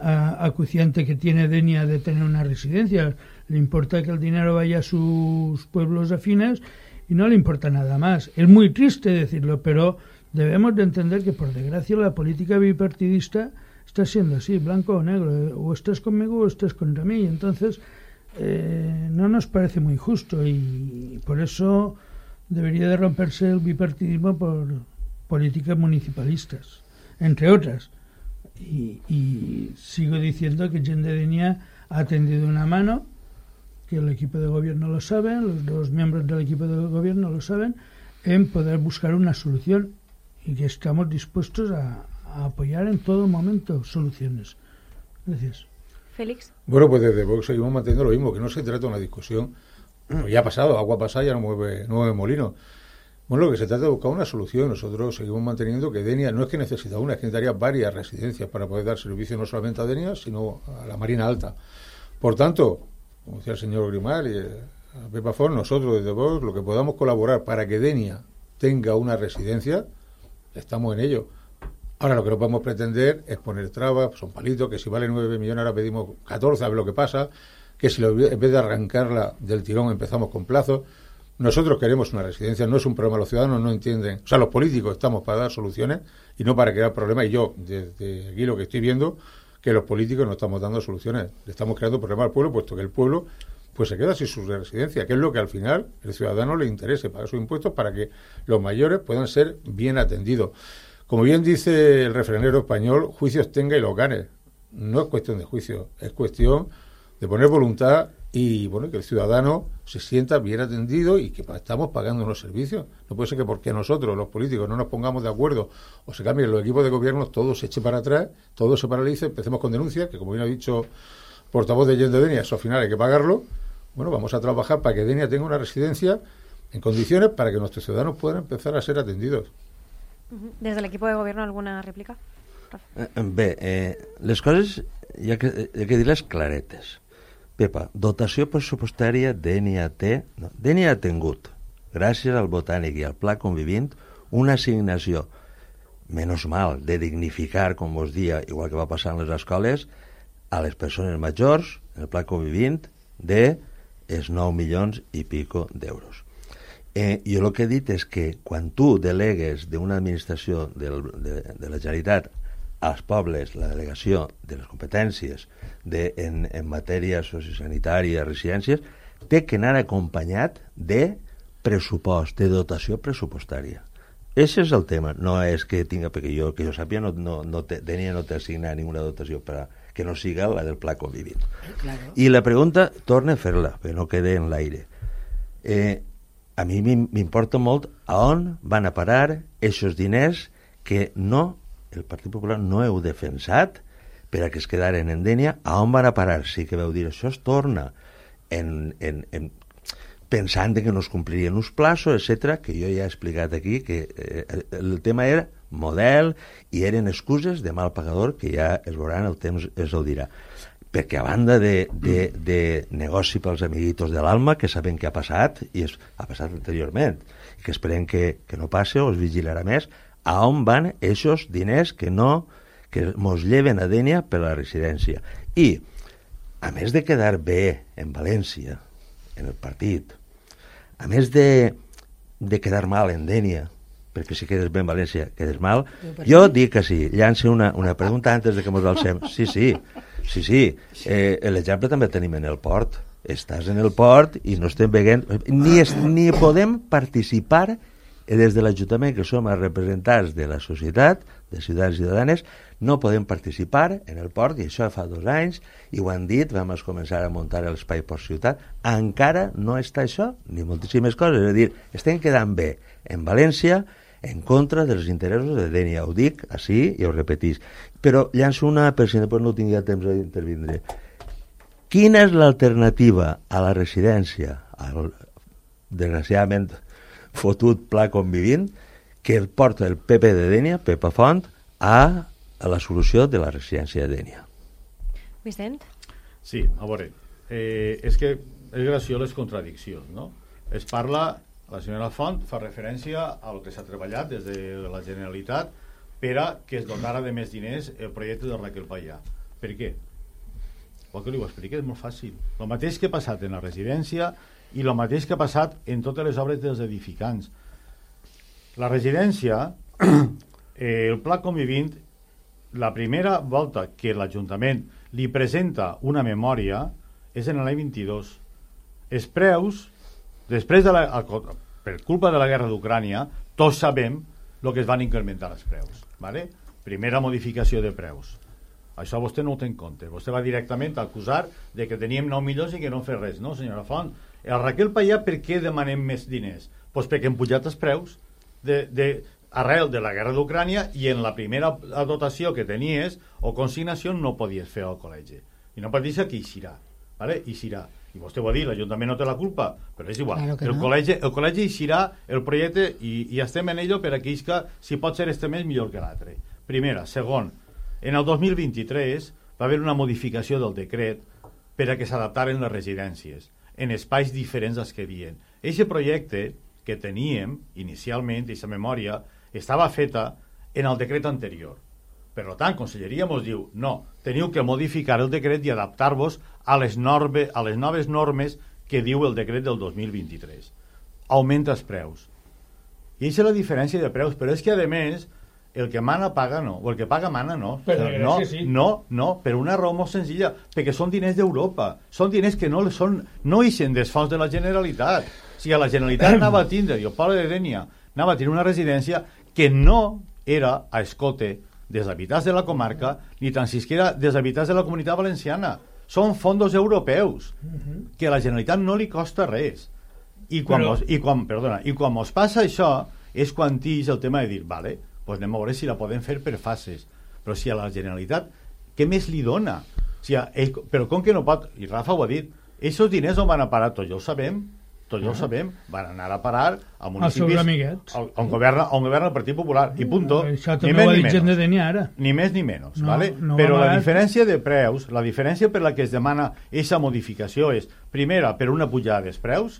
Speaker 6: acuciante que tiene Denia de tener una residencia, le importa que el dinero vaya a sus pueblos afines y no le importa nada más. Es muy triste decirlo, pero debemos de entender que por desgracia la política bipartidista está siendo así, blanco o negro, o estás conmigo o estás contra mí, entonces eh, no nos parece muy justo, y por eso debería de romperse el bipartidismo por políticas municipalistas, entre otras. Y, y sigo diciendo que Gent de Denia ha tendido una mano, que el equipo de gobierno lo sabe, los dos miembros del equipo de gobierno lo saben, en poder buscar una solución, y que estamos dispuestos a, a apoyar en todo momento soluciones. Gracias.
Speaker 3: Félix.
Speaker 8: Bueno, pues desde Vox seguimos manteniendo lo mismo, que no se trata de una discusión, pues ya ha pasado, agua pasada ya no mueve, no mueve molino. Bueno, lo que se trata es de buscar una solución. Nosotros seguimos manteniendo que Denia no es que necesita una, es que necesitaría varias residencias para poder dar servicio no solamente a Denia, sino a la Marina Alta. Por tanto, como decía el señor Grimar y a Pepa Font, nosotros desde Vox, lo que podamos colaborar para que Denia tenga una residencia, estamos en ello. Ahora lo que no podemos pretender es poner trabas, son palitos, que si vale nueve millones ahora pedimos catorce, a ver lo que pasa, que si lo, en vez de arrancarla del tirón empezamos con plazos. Nosotros queremos una residencia, no es un problema, los ciudadanos no entienden, o sea, los políticos estamos para dar soluciones y no para crear problemas, y yo, desde aquí lo que estoy viendo, que los políticos no estamos dando soluciones, le estamos creando problemas al pueblo, puesto que el pueblo pues se queda sin su residencia, que es lo que al final el ciudadano le interese, pagar sus impuestos para que los mayores puedan ser bien atendidos. Como bien dice el refranero español, juicios tenga y los gane. No es cuestión de juicio, es cuestión de poner voluntad y bueno, que el ciudadano se sienta bien atendido y que estamos pagando unos servicios. No puede ser que porque nosotros, los políticos, no nos pongamos de acuerdo o se cambien los equipos de gobierno, todo se eche para atrás, todo se paralice, empecemos con denuncias, que como bien ha dicho portavoz de Gent de Denia, eso al final hay que pagarlo. Bueno, vamos a trabajar para que Denia tenga una residencia en condiciones para que nuestros ciudadanos puedan empezar a ser atendidos.
Speaker 3: Desde el equipo de gobierno, ¿alguna réplica?
Speaker 7: Eh, bé, eh, les coses hi ha que, hi ha que dir-les claretes. Pepa, dotació pressupostària Denia té... No, Denia ha tingut, gràcies al Botànic i al Pla Convivint, una assignació, menys mal, de dignificar, com vos dia, igual que va passar en les escoles, a les persones majors, en el pla Convivint, de els nou milions i pico d'euros. Eh, jo el que he dit és que quan tu delegues d'una administració del, de, de la Generalitat als pobles la delegació de les competències de, en, en matèria sociosanitària, residències, té que anar acompanyat de pressupost, de dotació pressupostària. Ese és el tema, no és que tinga, perquè jo, que jo sàpiga, no, no, no te, tenia no té assignat ninguna dotació per a, que no siga la del pla Convivint. Claro. I la pregunta, torna a fer-la, perquè no quede en l'aire. Eh, a mi m'importa molt a on van a parar aquests diners que no, el Partit Popular no heu defensat per a que es quedaren en Dénia, a on van a parar? Sí que veu dir, això es torna en, en, en pensant que no es complirien uns plaços, etcètera, que jo ja he explicat aquí, que eh, el tema era model i eren excuses de mal pagador que ja es veuran, el temps es el dirà. Perquè a banda de, de, de negoci pels amiguitos de l'alma, que saben què ha passat, i es, ha passat anteriorment, i que esperem que, que no passe o es vigilarà més, a on van aquests diners que no, que mos lleven a Dénia per la residència. I, a més de quedar bé en València, en el partit, a més de, de quedar mal en Dénia, perquè si quedes bé en València quedes mal, jo dic que sí. Llança una, una pregunta antes de que mos alcem. Sí, sí, sí, sí. Eh, l'exemple també tenim en el port. Estàs en el port i no estem veient... Ni, es, ni podem participar des de l'Ajuntament, que som els representants de la societat, de ciutadans i ciutadanes, no podem participar en el port, i això fa dos anys, i ho han dit, vam començar a muntar l'espai Port Ciutat, encara no està això, ni moltíssimes coses, és a dir, estem quedant bé en València, en contra dels interessos de Dénia, ho dic així i ho repetís. Però llanço una, per si després no tinguia temps d'intervindre. Quina és l'alternativa a la residència, al, desgraciadament, fotut pla Convivint, que porta el P P de Dénia, Pepa Font, a, a la solució de la residència de Dénia?
Speaker 3: Vicent?
Speaker 4: Sí, a veure, eh, és que és graciós les contradiccions, no? Es parla, la senyora Font fa referència a lo que s'ha treballat des de la Generalitat per a que es donara de més diners el projecte de Raquel Payà. Per què? Vol que li ho expliqui? És molt fàcil. El mateix que ha passat en la residència i el mateix que ha passat en totes les obres dels edificants. La residència, eh, el pla Convivint, la primera volta que l'Ajuntament li presenta una memòria és en l'any vint-i-dos. Els preus, després de la, per culpa de la guerra d'Ucrània, tots sabem el que es van incrementar els preus. ¿Vale? Primera modificació de preus. Això vostè no ho té en compte. Vostè va directament a acusar de que teníem nou milions i que no fer res, no, senyora Font? El Raquel Payà, per què demanem més diners? Doncs pues perquè han pujat els preus de, de, arrel de la guerra d'Ucrània, i en la primera dotació que tenies o consignació no podies fer al col·legi. I no pot dir que eixirà. ¿Vale? Eixirà. I vostè ho ha dit, l'Ajuntament no té la culpa, però és igual. Claro el, no. col·legi, el col·legi eixirà el projecte i, i estem en ello per a que isca, si pot ser este mes millor que l'altre. Primera. Segon, en el dos mil vint-i-tres va haver una modificació del decret per a que s'adaptaren les residències en espais diferents als que havien. Eixe projecte que teníem inicialment, aquesta memòria, estava feta en el decret anterior. Per tant, Conselleria ens diu, no, teniu que modificar el decret i adaptar-vos a les, norme, a les noves normes que diu el decret del dos mil vint-i-tres. Augmenta els preus. I aquesta és la diferència de preus, però és que, a més, el que mana paga no, o el que paga mana no.
Speaker 6: Però
Speaker 4: no,
Speaker 6: sí.
Speaker 4: no, no, per una raó molt senzilla, perquè són diners d'Europa, són diners que no són, no ixen dels fons de la Generalitat. O sigui, la Generalitat anava a tindre, i el poble de Dénia anava a tindre una residència que no era a escote dels habitants de la comarca, ni tan siquiera dels habitants de la Comunitat Valenciana. Són fondos europeus, que a la Generalitat no li costa res. I quan, Però... mos, i quan, perdona, i quan mos passa això, és quan tix el tema de dir, vale, pues anem a veure si la podem fer per fases. Però si a la Generalitat, què més li dona? O sigui, ell, però com que no pot, i Rafa ho ha dit, aquests diners on van a parar, tots ja ho sabem, tots ja ho sabem, van anar a parar a municipis on, on, governa, on governa el Partit Popular, i punto.
Speaker 6: Això també ho ha dit gent de Dénia ara.
Speaker 4: Ni més ni menys,
Speaker 6: no,
Speaker 4: ¿vale?
Speaker 6: No
Speaker 4: però la diferència de preus, la diferència per la que es demana aquesta modificació és, primera, per una pujada dels preus,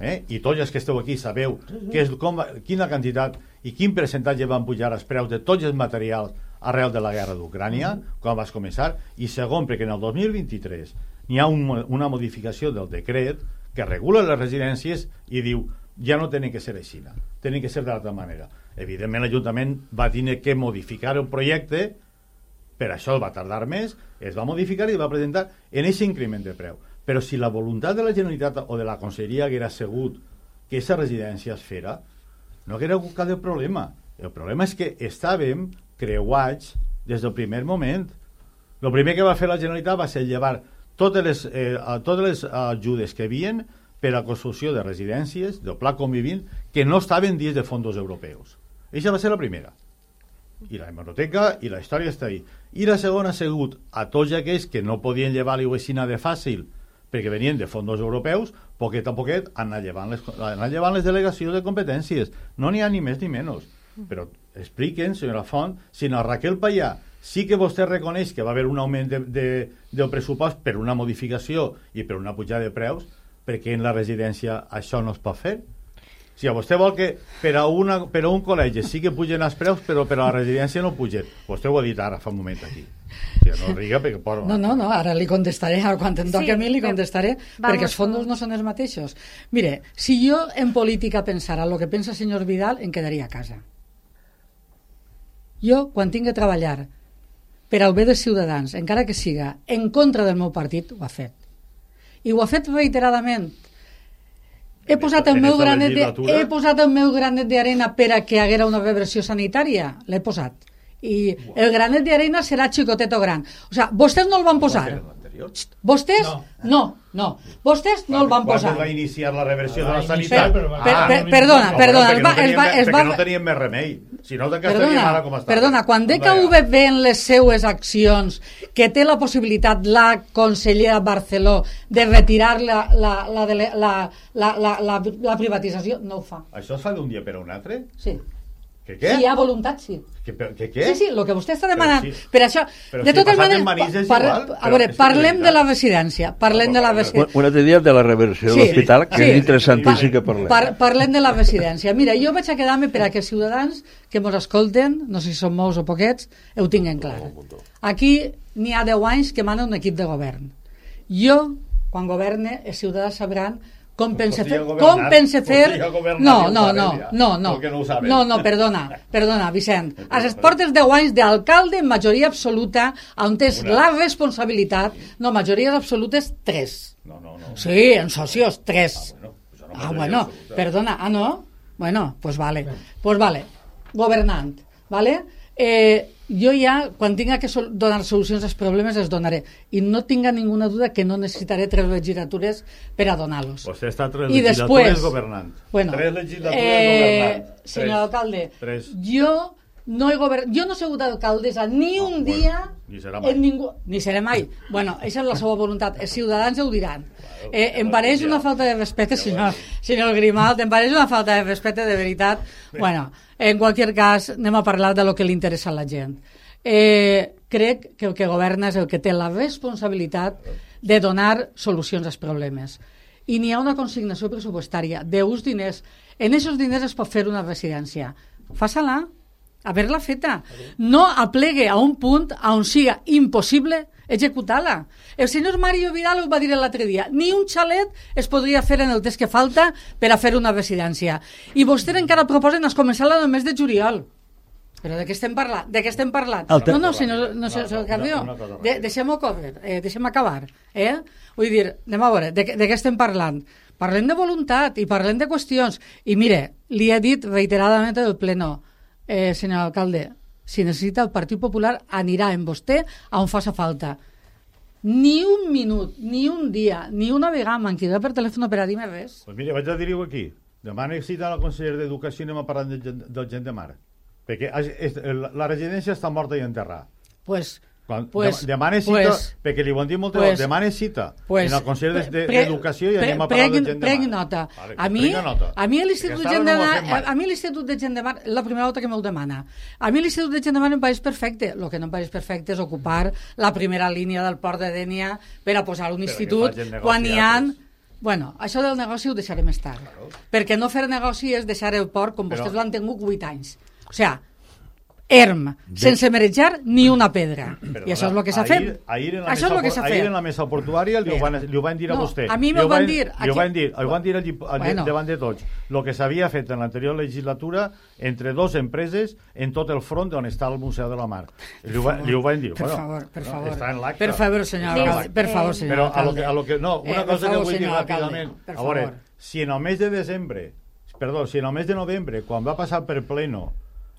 Speaker 4: eh? I tots els que esteu aquí sabeu que és com, quina quantitat i quin percentatge van pujar els preus de tots els materials arrel de la guerra d'Ucrània, quan vas començar, i segon, perquè en el dos mil vint-i-tres n'hi ha un, una modificació del decret que regula les residències i diu, ja no tenen que ser així, tenen que ser d'altra manera. Evidentment l'Ajuntament va tenir que modificar el projecte, per això va tardar més, es va modificar i va presentar en aquest increment de preu. Però si la voluntat de la Generalitat o de la Conselleria haguera sigut que aquesta residència es fera, no haguera hagut cap problema. El problema és que estàvem creuats des del primer moment. El primer que va fer la Generalitat va ser llevar totes les, eh, totes les ajudes que havien per a la construcció de residències, del pla convivint, que no estaven dins de fons europeus. Això va ser la primera. I la hemeroteca i la història està ahí. I la segona ha sigut a tots aquells que no podien llevar-li aixina de fàcil perquè venien de fons europeus, poquet a poquet han anat llevant les, han anat llevant les delegacions de competències. No n'hi ha ni més ni menys. Però expliquen, senyora Font, si la Raquel Payà sí que vostè reconeix que va haver un augment de, de, del pressupost per una modificació i per una pujada de preus, perquè en la residència això no es pot fer? Si a vostè vol que per a, una, per a un col·legi sí que pugen els preus, però per a la residència no pugen. Vostè ho ha dit ara, fa un moment aquí. O sigui, no riga perquè... Por...
Speaker 5: No, no, no, ara li contestaré, ara quan em toqui
Speaker 3: sí,
Speaker 5: a mi li contestaré,
Speaker 3: vamos,
Speaker 5: perquè els fondos no són els mateixos. Mire, si jo en política pensara el que pensa el senyor Vidal, em quedaria a casa. Jo, quan tinc que treballar per al bé dels ciutadans, encara que siga en contra del meu partit, ho ha fet. I ho ha fet reiteradament. He posat, el meu granet de, he posat el meu granet d'arena per a que haguera una reversió sanitària? L'he posat. I el granet d'arena serà xicotet o gran. O sigui, vostès no el van posar. Vostès, no, no. Vostès no el van posar.
Speaker 4: Quan va iniciar la reversió de la sanitat?
Speaker 5: Perdona, perdona.
Speaker 4: Perquè no tenien més remei. Si no, que estaríem ara com està.
Speaker 5: Perdona, quan D K V ve en les seues accions que té la possibilitat la consellera Barceló de retirar la, la, la, la, la, la, la, la privatització, no ho fa.
Speaker 4: Això es fa d'un dia per a un altre?
Speaker 5: Sí.
Speaker 4: Que què?
Speaker 5: Si hi ha voluntat, sí.
Speaker 4: Que, que què?
Speaker 5: Sí, sí, el que vostè està demanant.
Speaker 4: Però sí.
Speaker 5: Per això,
Speaker 4: però
Speaker 5: de
Speaker 4: si
Speaker 5: totes maneres,
Speaker 4: par,
Speaker 5: a veure, parlem de la residència. Parlem de la residència.
Speaker 7: Un altre dia de la reversió de l'hospital, que sí, és interessantíssim que parlem.
Speaker 5: Par, parlem de la residència. Mira, jo vaig a quedar-me per a que els ciutadans que ens escolten, no sé si són molts o poquets, ho tinguin clar. Aquí n'hi ha deu anys que mana un equip de govern. Jo, quan governe, els ciutadans sabran com pense fer, com pense fer... No, no, no, no, no, no, no, perdona, perdona, Vicent. A les portes deu anys d'alcalde en majoria absoluta, on és la responsabilitat, no, majories absolutes, tres.
Speaker 4: No, no, no.
Speaker 5: Sí, en socios, tres. Ah, bueno, perdona, ah, no? Bueno, pues vale, pues vale. Governant, vale? Eh... Jo ja, quan tinga que sol donar solucions als problemes, els donaré. I no tinga ninguna duda que no necessitaré tres legislatures per a donar-los.
Speaker 4: Vostè està tres legislatures després, governant.
Speaker 5: Bueno,
Speaker 4: tres legislatures
Speaker 5: eh,
Speaker 4: governant.
Speaker 5: Senyor tres, alcalde,
Speaker 4: tres.
Speaker 5: jo no he governat, jo no he sigut alcaldessa ni no, un bueno, dia...
Speaker 4: Ni serà mai.
Speaker 5: Ningú, ni serà mai. Bueno, això és la seva voluntat. Els ciutadans ho diran. Eh, em pareix una falta de respecte, senyor, senyor Grimalt, em pareix una falta de respecte, de veritat. Bueno, en qualsevol cas, anem a parlar de lo que li interessa a la gent. Eh, crec que el que governa és el que té la responsabilitat de donar solucions als problemes. I n'hi ha una consignació pressupostària d'uns diners. En aquests diners es pot fer una residència. Faça-la, haver-la feta. No aplegue a un punt on siga impossible executar-la. El senyor Mario Vidal ho va dir l'altre dia. Ni un xalet es podria fer en el temps que falta per a fer una residència. I vostès encara proposen es començar el mes de juliol. Però de què estem parlant? De què estem parlant? No, no, senyor, no, senyor Carrió, de, deixem-ho cobrir, eh, deixem acabar. Eh? Vull dir, anem a veure, de, de què estem parlant? Parlem de voluntat i parlem de qüestions. I mire, li he dit reiteradament del pleno, eh, senyor alcalde, si necessita el Partit Popular anirà en vostè a on faci falta. Ni un minut, ni un dia, ni una vegada m'han cridat per telèfon per a dir-me res.
Speaker 4: Pues mire, vaig a dir-ho aquí. Demà necessita la consellera d'Educació i anem a parlar del, del gent de mar. Perquè la residència està morta i enterrada.
Speaker 5: Pues,
Speaker 4: Quan,
Speaker 5: pues,
Speaker 4: demana cita, pues, perquè li ho han dit molt pues, demana cita pues, en el Consell d'Educació i anem a parlar de gent de mar.
Speaker 5: Prenc nota. Vale, a mi, nota. A mi l'Institut de Gent de Mar, a mi l'Institut de Gent de Mar, la primera volta que me'l demana. A mi l'Institut de Gent de Mar em pareix perfecte. El que no em pareix perfecte és ocupar la primera línia del port de Dénia per a posar un institut quan hi ha... Bueno, això del negoci ho deixaré més tard. Claro. Perquè no fer negoci és deixar el port com vostès l'han tingut vuit anys. O sigui, erm, sense marejar ni una pedra.
Speaker 4: Perdona,
Speaker 5: I això és el que s'ha
Speaker 4: ahir,
Speaker 5: fet.
Speaker 4: Ahir en la
Speaker 5: això és el que s'ha
Speaker 4: mesa, ahir
Speaker 5: fet.
Speaker 4: en la mesa portuària li ho van, li ho van dir a
Speaker 5: No,
Speaker 4: vostè.
Speaker 5: a mi
Speaker 4: Li
Speaker 5: m'ho
Speaker 4: ho
Speaker 5: van dir,
Speaker 4: Li ho
Speaker 5: aquí-
Speaker 4: van dir, ho van dir allí, allí
Speaker 5: Bueno.
Speaker 4: davant de tots. El que s'havia fet en l'anterior legislatura entre dos empreses en tot el front on està el Museu de la Mar. Li ho, va, li ho van dir.
Speaker 5: Per
Speaker 4: bueno,
Speaker 5: favor, per
Speaker 4: no,
Speaker 5: favor.
Speaker 4: Està en l'acte.
Speaker 5: Per favor, senyor
Speaker 4: Està en
Speaker 5: alcalde.
Speaker 4: l'acte.
Speaker 5: Per favor, senyor
Speaker 4: Però a lo
Speaker 5: alcalde.
Speaker 4: que, a lo que, no, una
Speaker 5: Eh, per
Speaker 4: cosa
Speaker 5: favor,
Speaker 4: que vull dir
Speaker 5: senyor alcalde,
Speaker 4: ràpidament.
Speaker 5: per
Speaker 4: A veure,
Speaker 5: favor.
Speaker 4: si en el mes de desembre, perdó, si en el mes de novembre, quan va passar per pleno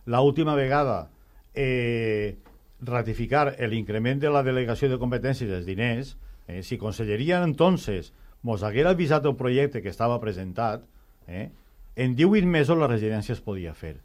Speaker 4: l'última vegada eh, ratificar el increment de la delegació de competències dels diners, eh, si Conselleria entonces mos haguera avisat el projecte que estava presentat, eh, en divuit mesos la residència es podia fer.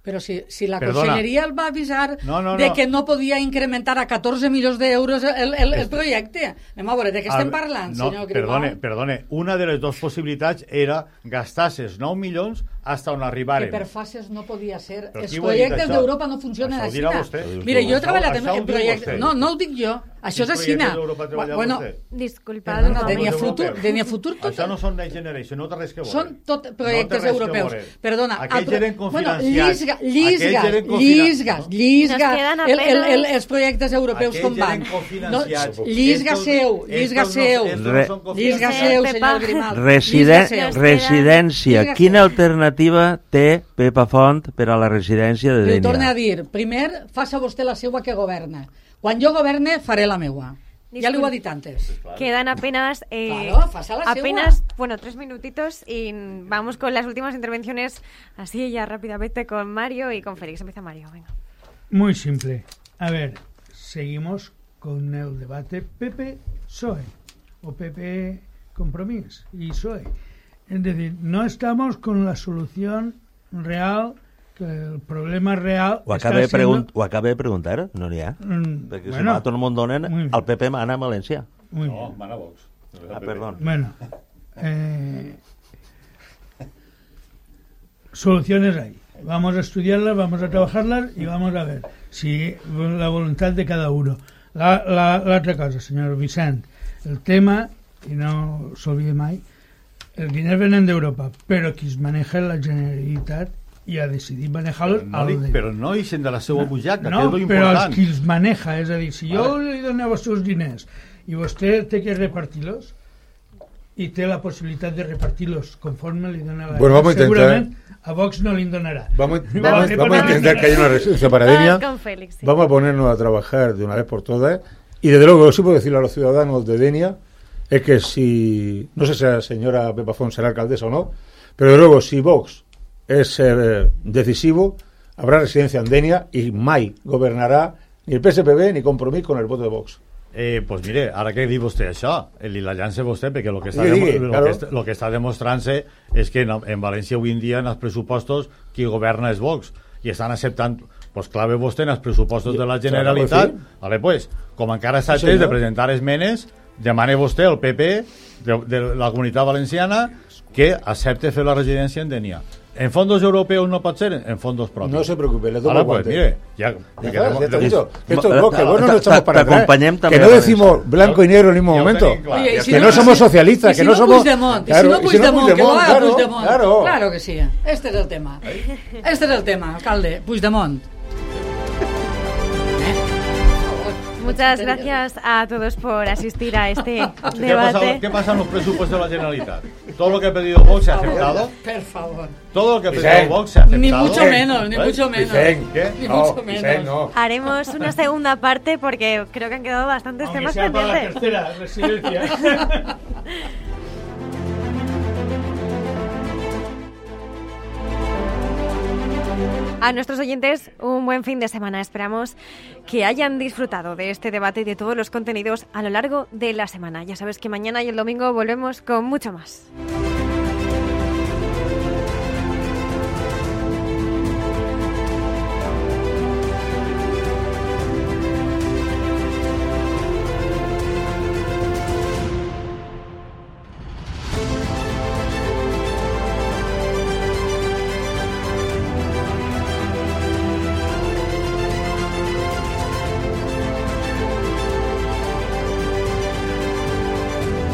Speaker 5: Però si, si la
Speaker 4: Perdona.
Speaker 5: Conselleria el va avisar
Speaker 4: No, no,
Speaker 5: de
Speaker 4: no.
Speaker 5: que no podia incrementar a catorze milions d'euros el, el, el projecte. Anem a veure, de què estem
Speaker 4: A-
Speaker 5: parlant,
Speaker 4: no,
Speaker 5: senyor Grimau?
Speaker 4: perdone, perdone, una de les dues possibilitats era gastar-se els nou milions fins on
Speaker 5: Que
Speaker 4: arribaren.
Speaker 5: per fases no podia ser.
Speaker 4: Però
Speaker 5: Els
Speaker 4: qui ho ha dit,
Speaker 5: projectes
Speaker 4: això?
Speaker 5: d'Europa no funcionen
Speaker 4: Això ho
Speaker 5: així.
Speaker 4: dirà vostè.
Speaker 5: Mira, jo he
Speaker 4: Això-
Speaker 5: treballat en,
Speaker 4: això ho
Speaker 5: en
Speaker 4: diu
Speaker 5: projectes...
Speaker 4: vostè.
Speaker 5: No, no ho dic jo. Això és
Speaker 4: Quins
Speaker 5: així.
Speaker 4: projectes d'Europa treballa
Speaker 5: Bueno,
Speaker 4: vostè?
Speaker 3: Disculpa,
Speaker 5: perdona,
Speaker 3: un
Speaker 5: de Nia
Speaker 3: moment.
Speaker 5: Futur, de Nia Futur tot...
Speaker 4: Això no són Next Generation, no té res que veure.
Speaker 5: Són tot
Speaker 4: No té
Speaker 5: projectes
Speaker 4: res que
Speaker 5: europeus.
Speaker 4: veure.
Speaker 5: Perdona.
Speaker 4: Aquells
Speaker 5: pro-
Speaker 4: eren
Speaker 5: bueno,
Speaker 4: cofinanciats.
Speaker 5: llisga,
Speaker 4: Aquells
Speaker 5: llisgas,
Speaker 4: eren cofina-
Speaker 5: llisgas,
Speaker 4: no?
Speaker 5: llisgas,
Speaker 3: Nos quedan
Speaker 5: el, el, el,
Speaker 3: apenas-
Speaker 5: els projectes europeus
Speaker 4: Aquells
Speaker 5: com van.
Speaker 4: eren cofinanciats.
Speaker 5: No, llisga
Speaker 4: Estos-
Speaker 5: seu, llisga
Speaker 4: estos no-
Speaker 5: seu,
Speaker 4: estos no
Speaker 7: Re-
Speaker 4: són cofinanciats.
Speaker 5: llisga seu, senyor Grimal.
Speaker 7: Residen
Speaker 5: Llisga seu.
Speaker 7: residència.
Speaker 5: Llisga
Speaker 7: Quina
Speaker 5: seu.
Speaker 7: alternativa té Pepa Font per a la residència de
Speaker 5: Li ho torne
Speaker 7: Dénia?
Speaker 5: a dir. Primer, faça vostè la seua que governa. Quan jo governe, faré la meua. Ja li ho ha dit antes.
Speaker 3: Quedan apenas eh,
Speaker 5: Claro, faça la
Speaker 3: apenas, bueno, tres minutitos y vamos con las últimas intervenciones así ya rápidamente con Mario y con Félix. Empieza Mario, venga.
Speaker 6: Muy simple. A ver, seguimos con el debate P P P S O E o P P Compromís y P S O E. Es decir, no estamos con la solución real, que el problema real
Speaker 7: Ho
Speaker 6: está
Speaker 7: acaba, de
Speaker 6: siendo...
Speaker 7: pregun ho acaba de preguntar, no n'hi ha.
Speaker 6: Mm,
Speaker 7: Perquè si
Speaker 6: bueno.
Speaker 7: no, tot el món donen,
Speaker 6: Muy bien.
Speaker 7: el P P mana a València.
Speaker 6: Muy
Speaker 4: No,
Speaker 6: bien.
Speaker 4: mana Vox.
Speaker 7: Ah, perdón.
Speaker 6: Bueno, eh, soluciones hay. Vamos a estudiarlas, vamos a trabajarlas y vamos a ver si la voluntad de cada uno. La, la, la otra cosa, señor Vicent, el tema, y no se olvide mai, el dinero viene de Europa, pero qui es maneja la Generalitat i ha decidit manejar-los
Speaker 4: No, li, però no ixen de la seva butxaca,
Speaker 6: no,
Speaker 4: que és lo
Speaker 6: però els
Speaker 4: important.
Speaker 6: qui els maneja, és a dir, si jo
Speaker 4: Vale.
Speaker 6: li donava els seus diners i vostè té que repartir-los i té la possibilitat de repartir-los conforme li dona la
Speaker 8: Bueno, vamos a intentar-
Speaker 6: segurament a Vox no li donarà.
Speaker 8: Vamos,
Speaker 6: Li
Speaker 8: vamos,
Speaker 6: va
Speaker 8: vamos a
Speaker 6: repartir-
Speaker 8: intentar que haya una residencia para Denia.
Speaker 3: Con Félix, sí.
Speaker 8: Vamos a ponernos a trabajar de una vez por todas. Y desde luego, lo que sí puedo decirle a los ciudadanos de Denia es que si, no sé si la señora Pepa Font será alcaldesa o no, pero desde luego, si Vox es eh, decisivo, habrá residencia en Denia y mai gobernará ni el P S P B ni Compromís con el voto de Vox.
Speaker 4: Eh, pues mire, ara que diu vostè això, li la llança vostè, perquè el que està,
Speaker 8: Digui,
Speaker 4: demo
Speaker 8: digui,
Speaker 4: lo
Speaker 8: claro.
Speaker 4: que està, lo que està demostrant-se és que en, en València avui en dia en els pressupostos qui governa és Vox i estan acceptant, pues clave vostè en els pressupostos de la Generalitat, vale, pues, com encara està
Speaker 8: Sí,
Speaker 4: temps de
Speaker 8: senyor.
Speaker 4: presentar esmenes, demane vostè al P P de, de la Comunitat Valenciana que accepte fer la residència en Denia. En fondos europeos no pot ser, en fondos propis.
Speaker 8: No se preocupe, le tomo
Speaker 4: Ahora,
Speaker 8: el
Speaker 4: pues,
Speaker 8: guante.
Speaker 4: mire, ya,
Speaker 8: Ya
Speaker 4: que
Speaker 8: está,
Speaker 4: demo-
Speaker 8: ya te he
Speaker 4: demo-
Speaker 8: dicho que esto
Speaker 7: Eh,
Speaker 8: es Vox, que Vox no
Speaker 7: te-
Speaker 8: lo echamos
Speaker 7: te
Speaker 8: para atrás.
Speaker 7: acompañem
Speaker 8: Que
Speaker 7: també
Speaker 8: no
Speaker 7: a la
Speaker 8: decimos
Speaker 7: mesa.
Speaker 8: blanco y negro en el mismo
Speaker 4: Ya lo
Speaker 8: momento.
Speaker 4: tenéis claro.
Speaker 5: Oye, y
Speaker 8: Que
Speaker 5: si
Speaker 8: no
Speaker 5: no-
Speaker 8: somos socialistas,
Speaker 5: y si
Speaker 8: que no
Speaker 5: no
Speaker 8: somos...
Speaker 5: Puigdemont, y
Speaker 8: Claro,
Speaker 5: si no
Speaker 8: y si no
Speaker 5: Puigdemont, que lo
Speaker 8: Puigdemont,
Speaker 5: haga
Speaker 8: claro,
Speaker 5: Puigdemont.
Speaker 8: claro.
Speaker 5: Claro que sí. Este es el tema. Este es el tema, alcalde. Puigdemont.
Speaker 3: Muchas gracias a todos por asistir a este
Speaker 4: ¿Qué pasa,
Speaker 3: debate.
Speaker 4: ¿Qué pasa en los presupuestos de la Generalitat? ¿Todo lo que ha pedido Vox se ha aceptado?
Speaker 5: Por favor.
Speaker 4: ¿Todo lo que ha pedido
Speaker 8: Vicent.
Speaker 4: Vox se ha aceptado?
Speaker 5: Ni mucho menos, ni
Speaker 4: ¿Eh?
Speaker 5: mucho menos.
Speaker 8: Vicent,
Speaker 4: ¿Qué?
Speaker 5: Ni
Speaker 8: no,
Speaker 5: mucho menos.
Speaker 8: Vicent, no.
Speaker 3: Haremos una segunda parte porque creo que han quedado bastantes
Speaker 6: Aunque
Speaker 3: temas
Speaker 6: sea para la
Speaker 3: pendientes.
Speaker 6: tercera residencia.
Speaker 3: A nuestros oyentes, un buen fin de semana. Esperamos que hayan disfrutado de este debate y de todos los contenidos a lo largo de la semana. Ya sabes que mañana y el domingo volvemos con mucho más.